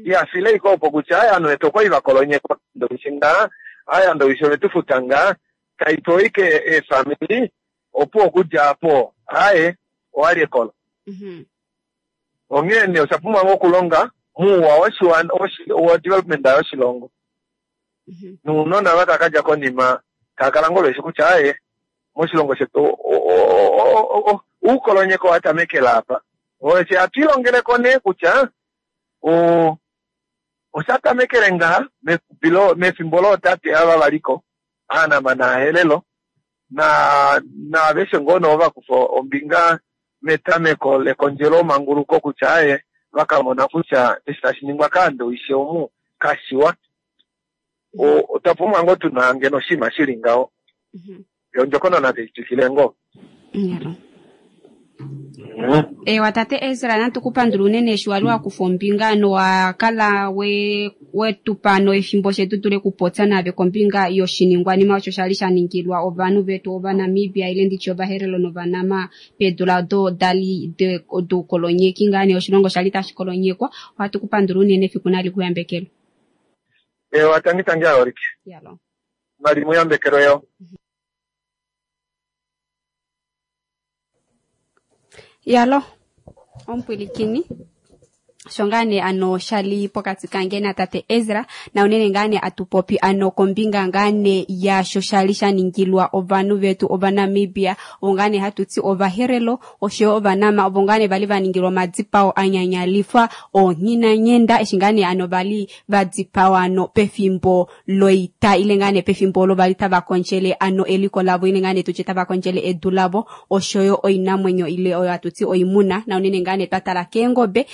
Ihafile ike opo kutya aya ovanhu vetu okwali va kolonyekwa ndowishi ngaa, aya ndowishi ove tu futa ngaa, tai pewa ike eefamili opo okudja apo aye owali ekolo. Onghee nee osha pumbwa ngoo okulonga muuwa woshiwana wa development yoshilongo. Nounona va taka dja konima tava kala ngoo veshi kutya aye moshilongo shetu uukolonyeko wa tamekela apa. Osho hatu ilongeleko nee kutya osha tamekele ngaha mefimbo lootate ava valiko Aanama naaHelelo naaveshe ngoo noo va kufa ombinga metameko lekondjelo manguluko kutya aye va ka mona kutya eshi tashi ningwa kaandowishi omu kashiwa. Otwa pumbwa ngoo tuna ngeno oshinima shili ngaho. Ondjokonona tai twikile ngoo. Ewa tate Ezra natu ku pandula unene eshi wali wa kufa ombinga nowa kala we wetupa no efimbo shetu dule kupopya nave kombinga yoshiningwanima osho shali sha ningilwa ovanhu vetu Ovanamibia ile nditye Ovaherero nOvanama peedula odo dali doukolonyeki ngaa nee oshilongo shali tashi kolonyekwa. Ohatu ku pandula unene efiku nali ku yambekelwe. Ewa tangi tangi aholike. Yalo. Nali mu yambekelwe yo. Yalo, omupwilikini osho ngaa nee ano shali pokati kange natate Ezra na unene ngaa nee atupopi ano kombinga ngaa nee yaasho shali sha ningilwa ovanhu vetu Ovanamibia ovo ngaa nee hatu ti Ovaherero oshoyo Ovanama ovo ngaa nee vali va ningilwa omadipao a nyanyalifa oonghinanyenda eshi ngaa nee ano vali va dipawa ano pefimbo loita ile ngaa nee pefimbo olo vali tava kondjele ano eliko lavo ile ngaa nee tutye tava kondjele edu lavo oshoyo oinamwenyo ile oyo hatu ti oimuna na unene ngaa nee twa tala keengobe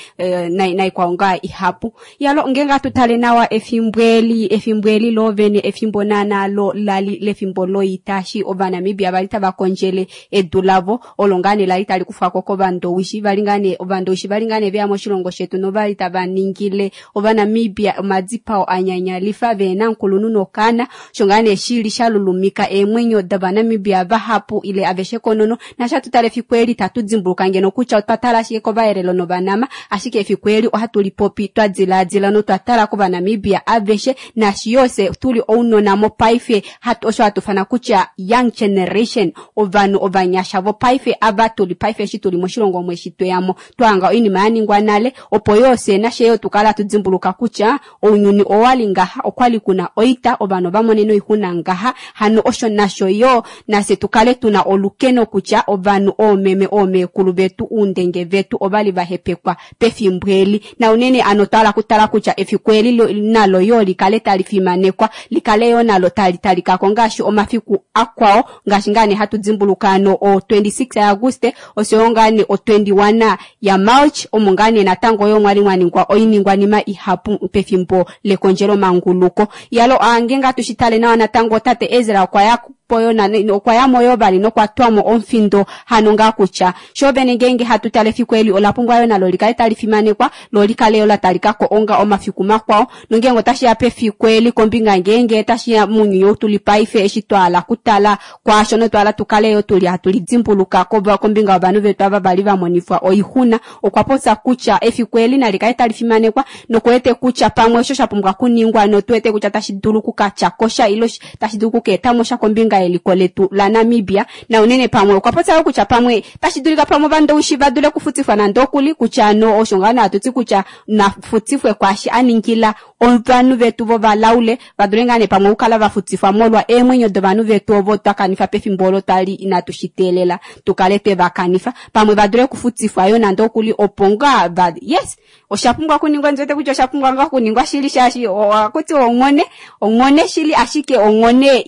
naikwao ngaa ihapu. Yalo ngeenge hatu tale nawa efimbo eli, efimbo eli loovene efimbo naana lo lali lefimbo loita eshi Ovanamibia vali tava kondjele edu lavo olo ngaa nee lali tali kufwako kovandowishi vali ngaa nee ovandowishi vali ngaa nee veya moshilongo shetu novali tava ningile Ovanamibia omadipao a nyanyalifa vehena omukulunhu nokaana osho ngaa nee shili sha lulumika eemwenyo dOvanamibia vahapu ile aveshe konono naashi hatu tale efiku eli itatu dimbuluka ngeno kutya otwa tala ashike kOvaherero nOvanama ashike efiku eli ohatu lipopi twa dilaadila notwa tala kOvanamibia aveshe naashi yoo fye tuli ounona mopaife osho hatu fana kutya young generation ovanhu ovanyasha vopaife ava tuli paife eshi tuli moshilongo omu eshi tweyamo twahanga oinima ya ningwa nale opo yoo fye nashe yoo tukala hatu dimbuluka kutya ounyuni owali ngaha okwali kuna oita ovanhu ova monene oixuna ngaha hano osho nasho yoo nafye tukale tuna olukeno kutya ovanhu oomeme oomeekulu vetu uundenge vetu ovali va hepekwa pefimbo eli na unene ano twala kutala kutya efiku eli nalo yo likale tali fimanekwa likale yo nalo tali talikako ngaashi omafiku akwao ngaashi ngaa nee hatu dimbuluka ano o 26 yaAguste oshoyo ngaa nee o 21 ya March omo ngaa nee natango yo mwali mwa ningwa oiningwanima ihapu pefimbo lekondjelomanguluko. Yalo ngeenge hatu shi tale nawa natango tate Ezra okwa ya poyo okwa ya mo yo vali nokwa twamo omufindo hano ngaa kutya sho vene ngeenge hatu tale efiku eli ola pumbwa yo nalo likale tali fimanekwa lo likale yo la talikako onga omafiku makwao nongeenge otashi ya pefiku eli kombinga ngeenge tashi ya mounyuni ou tuli paife eshi twala kutala kwaasho notwala tukale yo tuli hatu lidimbuluka kombinga yovanhu vetu ava vali va monifwa oixuna. Okwa popya kutya efiku eli nali kale tali fimanekwa nokuwete kutya pamwe osho sha pumbwa kuningwa notuwete kutya tashi dulu kukatya kosha ilo tashi dulu kukeetamo sha kombinga yeliko letu la Namibia. Na unene pamwe okwa popya kutya pamwe tashi dulika pamwe ovandowishi va dule okufutifwa nande okuli kutya no osho ngaa hatu ti kutya nafutifwe kwaashi a ningila ovanhu vetu vovalaule va dule ngaa nee pamwe okukala va futifwa molwa eemwenyo dovanhu vetu ovo twa kanifa pefimbo olo twali inatu shi teelela tukale twe va kanifa pamwe va dule okufutifwa yo nande okuli opo ngaa va yes osha pumbwa okuningwa ndiwete kutya osha pumbwa ngaa okuningwa shili shaashi ohakuti onghone onghone shili ashike onghone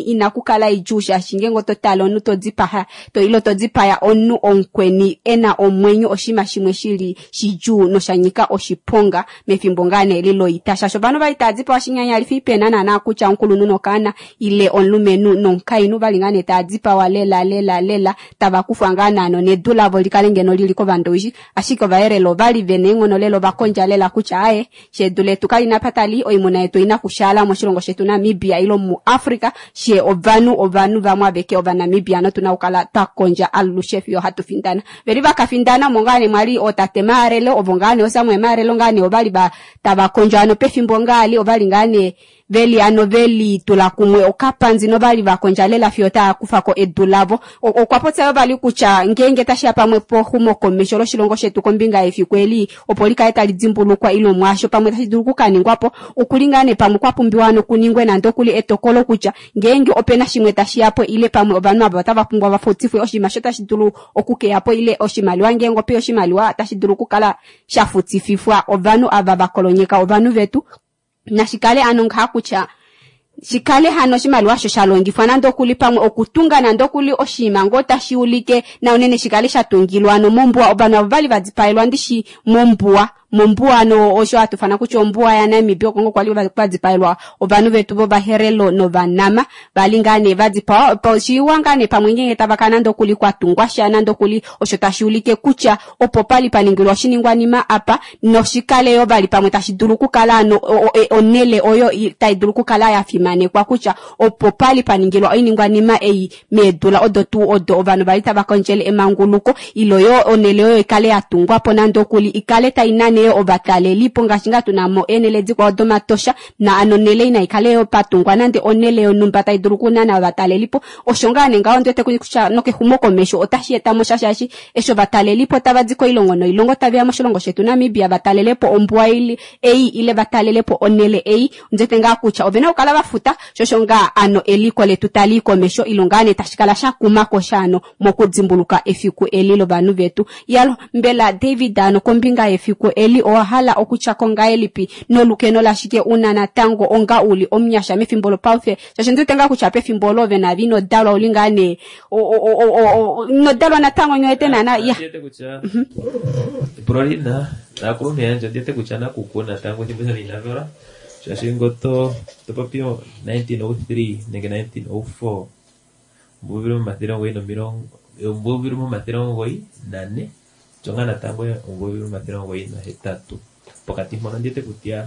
inakukala idjuu shaashi ngeenge oto tale omunhu to dipaya ilo to dipaya omunhu omukweni ena omwenyo oshinima shimwe shili shidjuu nosha nyika oshiponga mefimbo ngaa nee eli loita shaashi ovanhu vali tava dipawa shinyanyalifi pena naana kutya omukulunhu nokaana ile omulumenhu nomukainhu vali ngaa nee tava dipawa lela lela lela tava kufwa ngaa naano nedu lavo likale ngeno lili kovandowishi ashike ovaherero ovali vena eenghono lela ovakondja lela kutya aye shedu letu kalina apa tali oimuna yetu oina kushaala moshilongo shetu Namibia ilo muAfrica she ovanhu vamwe aveke ovanamibia notuna okukala twa kondja alushe fiyo hatu findana. Veli vakafindana omo ngaa nee mwali ootate Maarelo ovo ngaa nee ooSamuel Maarelo ngaa nee ovali tava kondjo ano pefimbo ngaali ovali ngaa nee veli ano veli tula kumwe okapanzi novali vakondja lela fiyo tava kufako edu lavo. Okwa popya yo vali kutya ngeenge tashiya pamwe poxumokomesho loshilongo shetu kombinga yefiku eli opo likale tali dimbulukwa ilo mwaasho pamwe tashi dulu okukaningwapo okuli ngaa nee pamwe kwa pumbiwa nokuningwe nande okuli etokolo kutya ngeenge opena shimwe tashiyapo ile pamwe ovanhu ava otava pumbwa vafutifwe oshinima sho tashi dulu okukeyapo ile oshimaliwa ngeenge ope oshimaliwa tashi dulu okukala shafutififwa ovanhu ava vakolonyeka ovanhu vetu nashikale ano ngaha kutya shikale hano oshimaliwa osho sha longifwa nande okuli pamwe okutunga nande okuli oshinima ngoo tashi ulike na unene shikale sha tungilwa ano mombuwa ovanhu avo vali vadipaelwa ndishi mombuwa mombuwa ano osho hatufana kutya ombuwa yaNamibia oko ngoo kwali kwadipaelwa ovanhu vetu vovaherero novanama vali ngaa nee vadipawa oshiwa ngaa nee pamwe ngeenge tava kala nande okuli kwatungwa sha nande okuli osho tashi ulike kutya opo pali paningilwa oshiningwanima apa noshikale yo vali pamwe tashi dulu okukala ano onele oyo tai dulu okukala ya fimanekwa kutya opo pali paningilwa oiningwanima ei meedula odo tuu odo ovanhu vali tava kondjele emanguluko ilo yo onele oyo ikale ya tungwa po nande okuli ikale tai nane ovatalelipo ngaashi ngaa tuna mo eenele dikwao domatosha na ano onele ina ikale yo patungwa nande onele yonhumba tai dulu okunana ovatalelipo osho ngaa nee ngaho ndiwete kutya nokexumokomesho otashi eta mo sha shaashi eshi ovatalelipo tava di koilongo noilongo taveya moshilongo shetu Namibia vatalelepo ombuwa ei ile vatalelepo onele ei ndiwete ngaa kutya ovena okukala vafuta shosho ngaa ano eliko letu tali komesho ilo ngaa nee tashi kala sha kumako sha ano mokudimbuluka efiku eli lovanhu vetu. Yalo mbela David ano kombinga yefiku eli owa hala okutyako ngahelipi nolukeno lashike una natango onga uli omunyasha mefimbo lopaife shaashi ndiwete ngaa kutya pefimbo olo ove navi inodalwa uli ngaa nee inodalwa natango nywete naana ya Ndiwete kutya epulo lina naakulunhu yandje ndiwete kutya nakuku natango ethimbo shali inavalwa shaashi ngo to popi 1903 nenge 1904 ombuvili 994 tjonga natango ombuvili 908 pokati mpono ndiwete kutya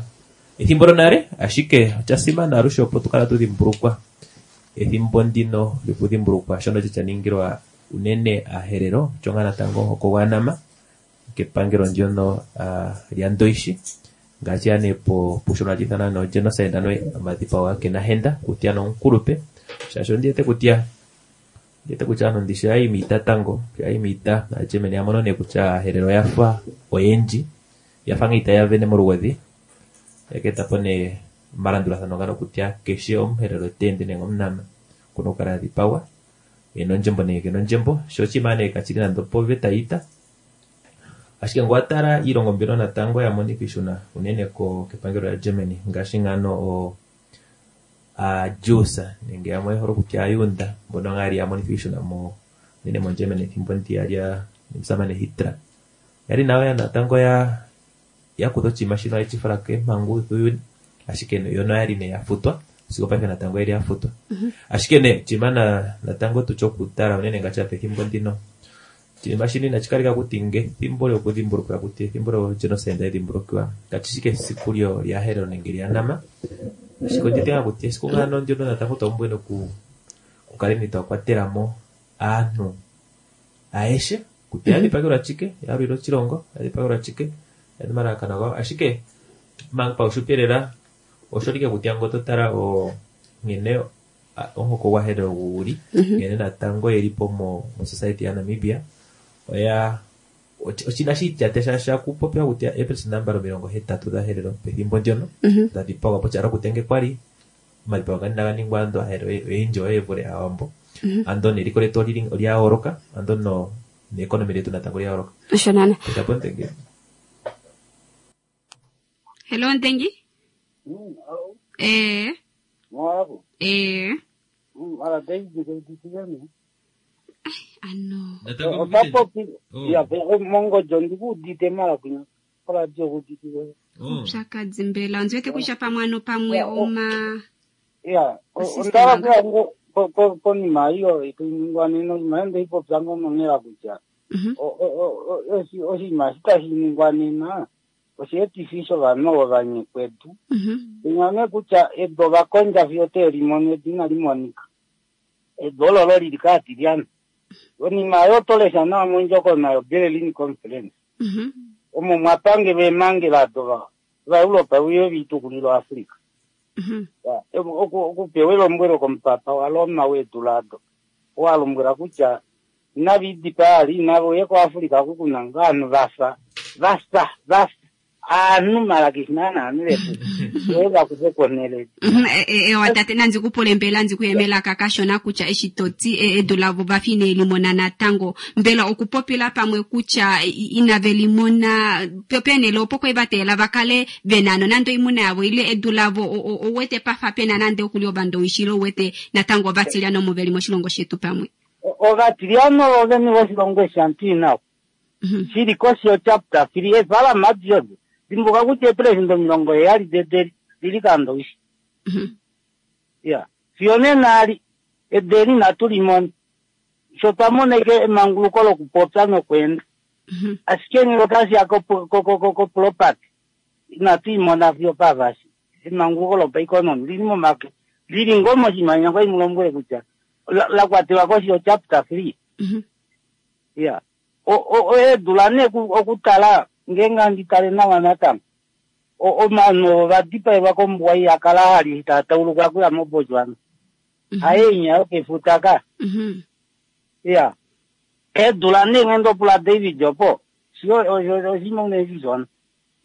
ethimbo lonale ashike osha simana alushe opo tukala tudhimbulukwa ethimbo ndino lyokudhimbulukwa shono sha ningilwa unene aherero tjonga natango oko gwanama kepangelo ndyono lyandoishi ngaashi ane po pushono hashi ithanwa no genocide ano omadhipago gakenahenda kutya nomukulupe shaashi ondiwete kutya ano ndishi yayi miita tango yayi miita aagermany yamono nee kutya aaherero oyafa oyendji yafa nga itaya vene molugodhi yakeetapo nee omalandulathano ngano kutya keshe omuherero teende nenge omunama okuna okukala adhipagwa ena ondjembo nenge kena ondjembo sho oshinima nee kashili nande opoveta yiita. Ashike ngele owa tala iilongo mbino natango ya monika iishuna unene ko kepangelo lya Germany ngaashi ngano o aaJews nenge yamwe oye hole okutya aayuunda mbono ngaa yali ya monithwa iishuna mo unene mo Germany ethimbo ndiya lya omusamane Hitler yali nayo ya natango ya ya kutha oshinima shino yeshi fala keempangu dhuuyuni ashike yo noyali nee ya futwa sigo paife natango oyeli ya futwa. Ashike nee oshinima na natango tutye okutala unene ngaashi pethimbo ndino oshinima shino inashi kaleka kuti ngethimbo lyokudhimbulukiwa kuti ethimbo lyo genocide edhimbulukiwa kashi esiku lyo lyaHerero nenge lyaNama ashike ondjete ngaa kuti esiku ngaano ndyono natango twa pumbwa noku kukaleni twa kwatela mo aantu ayehe kutya ya dhipagelwa chike ya lwila oshilongo ya dhipagelwa chike ya omalalakano gawo ashike manga paufupi lela osho like kutya ngo totala o nkene omuhoko gwaHerero guli nkene natango yeli po mo society ya Namibia oya oshina shiityate sha kupopiwa kutya eepelesenda mbali 80 dhaHerero pethimbo ndyono dha dhipagwa po tyalo kutya nge kwali omadhipago nga inaga ningwa ando aaHerero oyendji oye vule aawambo ando neliko letu olya yooloka ando no neekonomi letu natango olya yooloka. Osho nana. Kutya po Ntengi. Hello Ntengi. Eh. Mwabo. Eh. Mara David ke Ano. Otapopi ya mongojo ndikuudite mara kunya koradio kudite. Upyakadhi mbela onzi wete kutya pamwe ano pamwe oma Ya, ondala kuya ngo konima iyo itainingwa nena oshinima yo ndeipopya ngo nonela kutya oshinima eshi tashi ningwa nena osheetifi shovanhu ovo vanyekwedu. Inyane kutya edu ovakondja fiyo telimona edu inali monika. Edu ololo lili kaatilyana. Konima yo tolesha nawa mondjokonona yo Berlin Conference. Omo mwapangelwa eemhangela ado vaEuropa uye viitukulilo Africa. Okupewa elombwelo komupapa waRoma weedula ado owalombwela kutya inava idipaa ali inava uye koAfrica oku kuna ngoo ovanhu vafa vafa vafa aanhu mala keshi naana aanhu vetu oye vakufe konhele. Ewa tate nandi kupule mbela ndi kuyemela kakashona kutya eshi toti edu lavo vafi ine limona natango mbela okupopila pamwe kutya inave limona penele opo kwe vateela vakale vena nando oimuna yavo ile edu lavo owete pafa pena nande okuli ovandowishi owete natango ovatiliano omo veli moshilongo shetu pamwe. Ovatiliano ovene voshilongo eshi antu inao shili koshi yo chapter 3 evala madiod dimbuka kutya epresident 70 dedeli lili kandowishi. Ya fiyo nena ali edeli inatu limona sho twamona ike emanguluko lokupopya nokwenda ashike ngele otashiya ko property inatu imona fiyo pavashi emanguluko lopaeconomy lili momake lili ngoo moshimanya kwai mulombwele kutya la kwatelwa koshi yo chapter 3. Ya eedula nee okutala ngeenge andi tale nawa natango ovanhu ovadipaelwa kombuwa iyi akala hali tatauluka kuya moBotswana haye yokefuta ka. Ya eedula nee ngendo pula David opo sio osima unezizona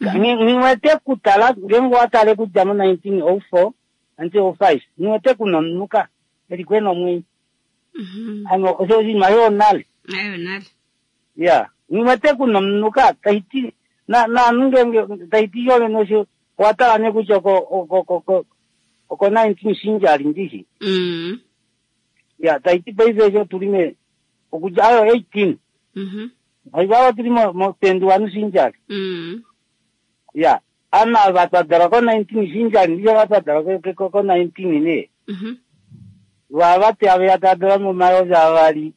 ngiwete kutala ngeenge watale kudja mo 1904 1905 ngiwete kunomunuka eli kwena omwenyo ano osho osima yonale ayonale. Ya ngiwete kunomunuka taiti na na ngenge taiti yole nosho watala ne kutya ko ko ko 19 sinjali ndishi. Ya taiti paife sho tulime okudja ayo 18. Aivawa tuli mo 21 sinjali. Ya ana vatwadala ko 19 sinjali ndiyo vatwadala ko ko 19 ne. Vavati ave yatadala momayovi avali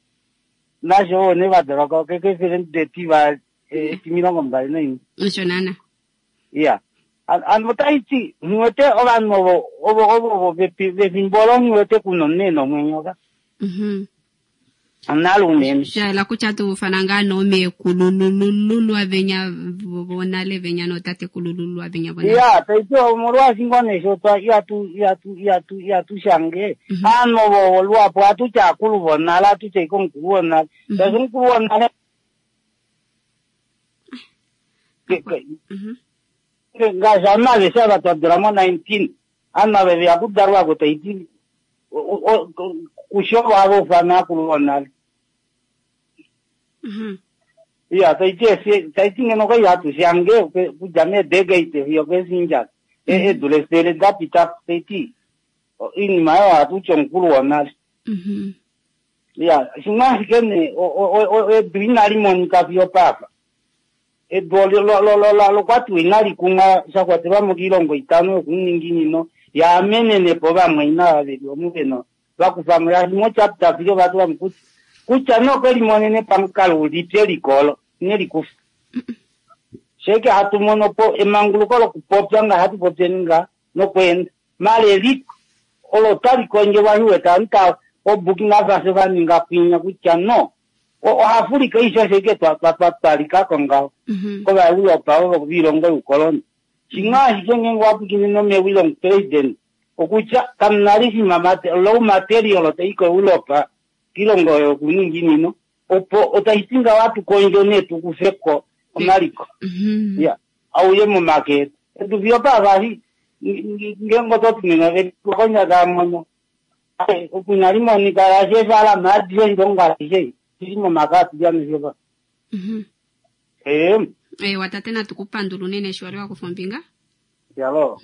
nasho ne vadala ko keke 21. Osho nana. Ya ano taiti ngiwete ovanhu ovo ovo vefimbo olo ngiwete kuno nene omwenyo ka. Analo unene. Shaela kutya tufana ngaa noomeekululululwa venya vonale venya nootatekulululwa venya vonale. Ya taiti omolwaashi ngoo nee sho twa ihatu shange aanhu ovo luhapu ohatu akulu vonale ohatu tya ike omukulu wonale shaashi omukulu wonale ngaashi aanhu aveshe ava twadula mo 19 aanhu ava veya kudalwako taiti kusho ovo hava ufana akulu vonale. Iya, taiti ngeno kwai hatu shange okudja meedegate fiyo okeesinja. Eedula 100 da pita taiti oinima oyo ohatu ti omukulu wonale. Iya, shimwe ashike nee edu inali monika fiyo opapa. Edu lokwatiwa inali kumwa sha kwatelwa mo koilongo itano yokuuninginino yaamenene po ovamwaina ava ve li omu ve va kufa mo shaashi mochapter 3 ova tula mo kutya kutya nee okwe limonene pamukalo ulipi eliko olo ine li kufa. Sheke hatu mono po emanguluko lokupopya nga hatu popyeni nga nokweenda. Maala eliko olo otali kondjelwa shi wete ovanhu tava oBurkina Faso va ninga kwinya kutya no oAfrika aishe osho ashike twa lika ko ngaho kOvaeuropa ovo voilongo youkoloni. Shimwe ashike ngeenge owa pwilikine nomewi lomupresident okutya kamu na lishima low material tai koEuropa koilongo oyo yokuninginino opo otashi ti ngaho ohatu kondjo nee tu kufe ko omaliko ya auye momake etu. Edu fiyo opapa eshi ngeenge oto ti nena ove konya taa mono oku inali monika shaashi eefaalama adishe oshilongo ashishe shili momake atilyane fiyo opapa. Ee. Eewa tate natu ku pandula unene eshi wali wa kufa ombinga. Yalo.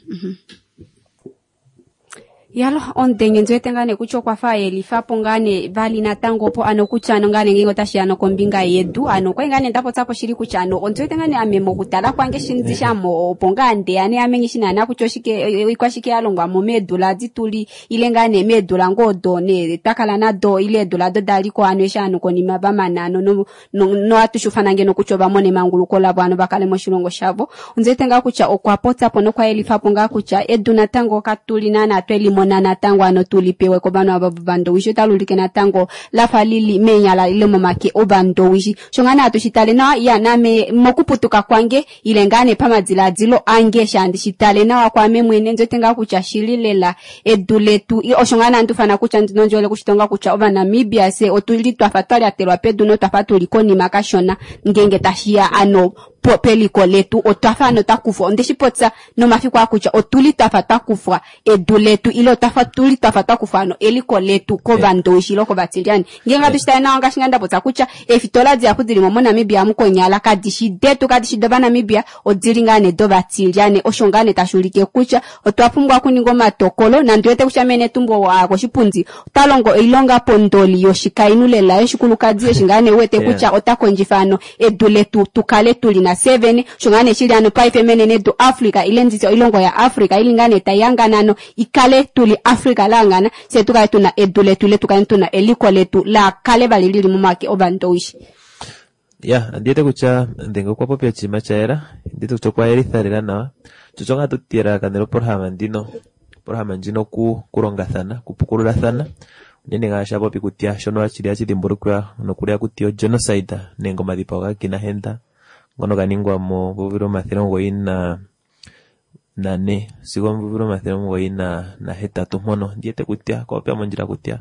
Yalo, omudenge ndi wete ngaa nee kutya okwa fa a yelifa po ngaa nee vali natango opo ano kutya ano ngaa nee ngeenge otashi ya nokombinga yedu ano okwali ngaa nee nda popya po shili kutya ano ondi wete ngaa nee ame mokutala kwange shi ndi shamo opo ngaa ndeya nee ame nghi shi naana kutya oshike oikwashike ya longwa mo meedula adi tuli ile ngaa nee meedula ngoo odo nee twa kala nado ile eedula odo da li ko ano eshi ovanhu konima va mana ano no, no, nohatu shi ufana ngeno kutya ova mona emanguluko lavo ano va kale moshilongo shavo. Ondi wete ngaa kutya okwa popya po nokwa yelifa po ngaa kutya edu natango katu li naana twe li mona natango ano tu li pewe kovanhu ava vovandowishi, otali ulike natango la fa li li meenyala ile momake ovandowishi. Osho ngaa nee hatu shi tale nawa, ya naame mokuputuka kwange ile ngaa nee pamadilaadilo ange eshi handi shi tale nawa kwaame mwene, ndi wete ngaa kutya shili lela edu letu. Osho ngaa nee handi ufana kutya ndi nondjele okushitonga kutya Ovanamibia fye otu li twafa twa lyatelwa pedu notwafa tu li konima kashona ngeenge tashi ya ano peliko letu. Otwa fa ano twa kufwa, onde shi popya nomafiku aa kutya otu li twafa twa kufwa edu letu ile otwafa tu li twafa twa kufwa ano eliko letu kOvandowishi ile kOvatilyane. Ngeenge hatu shi tale nawa ngaashi ngaa nda popya kutya eefitola dihapu dili mo moNamibia amu konyala kadi shi detu, kadi shi dOvanamibia, odili ngaa nee dOvatilyane. Osho ngaa nee tashi ulike kutya otwa pumbwa okuninga omatokolo, nandi wete kutya mee Netumbo oo a ya koshipundi ota longo oilonga pondoli yoshikainhu lela yoshikulukadi eshi ngaa nee wete kutya ota kondjifa ano edu letu tu kale tu li na fye vene. Osho ngaa nee shili ano paife menenedu Africa ile nditye oilongo ya Africa ili ngaa nee tai hangana ano i kale tu li Africa la hangana fye tu kale tu na edu letu ile tu kale tu na eliko letu laa kale vali lili momake Ovandowishi. Ya, ondi wete kutya Ndenge okwa popi oshinima sha yela. Ondi wete kutya okwa yelitha lela nawa. Sho osho ngaa tu elalakano lopolohalama ndino, opolohalama ndjino oku kulongathana, okupukululathana. Unene ngaashi a popi kutya shono shili hashi dhimbulukiwa nokuli haku tiwa ogenocide nenge omadhipago ga kina henda ngono ga ningwa momvula 94 sigo omvula 98 mpono. Ondi wete kutya okwa popya mondjila kutya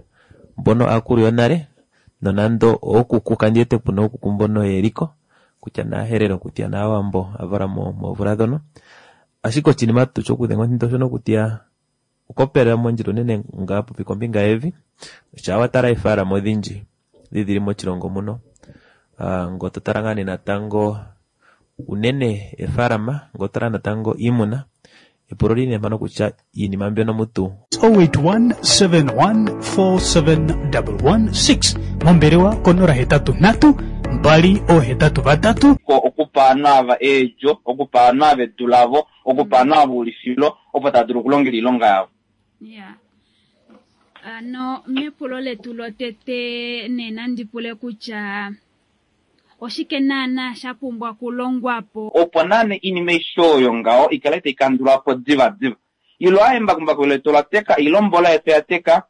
mbono aakulu yonale nonando ookuku kandi wete puna ookuku mbono yeliko kutya naaherero kutya naawambo a valwa moomvula dhono. Ashike oshinima tuu shokudhenga omuthindo oshono kutya okwa mondjila unene ngaa popi kombinga yevi. Shaa wa tala eefaalama odhindji dhi dhili moshilongo muno, ngo to tala ngaa nee natango unene eefaalama, ngo to tala natango iimuna, epulo oli li nee mpano kutya iinima mbyono mutu 0817147116 mombelewa ko 083 283. Okupa ovanhu ava eedjo, okupa ovanhu ava edu lavo, okupa ovanhu ava oulifilo opo tava dulu okulongela oilonga yavo. Ya. Ano mepulo letu lotete nee nandi pule kutya oshike naana sha pumbwa okulongwa po? Opo naane oinima aishe oyo ngaho i kale tai kandulwa po divadiva. Ile a embakumbaku letu ola teka ile ombola yetu oya teka.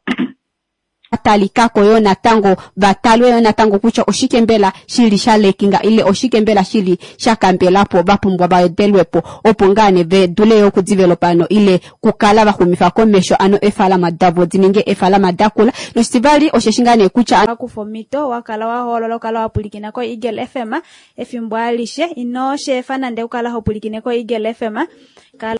Talika ko yoo natango va talwe yoo natango kutya oshike mbela shi li sha lekinga ile oshike mbela shi li sha kambela po va pumbwa va wedelwe po opo ngaa nee ve dule yoo okudivelopa ano ile kukala va xumifa komesho ano eefalama davo di ninge eefalama da kula noshitivali osheshi ngaa nee kutya. Wa kufa omhito, wa kala wa hoolola okukala wa pwilikina koEagle FM efimbo alishe. Ino shi efa nande okukala ho pwilikine koEagle FM. Kala.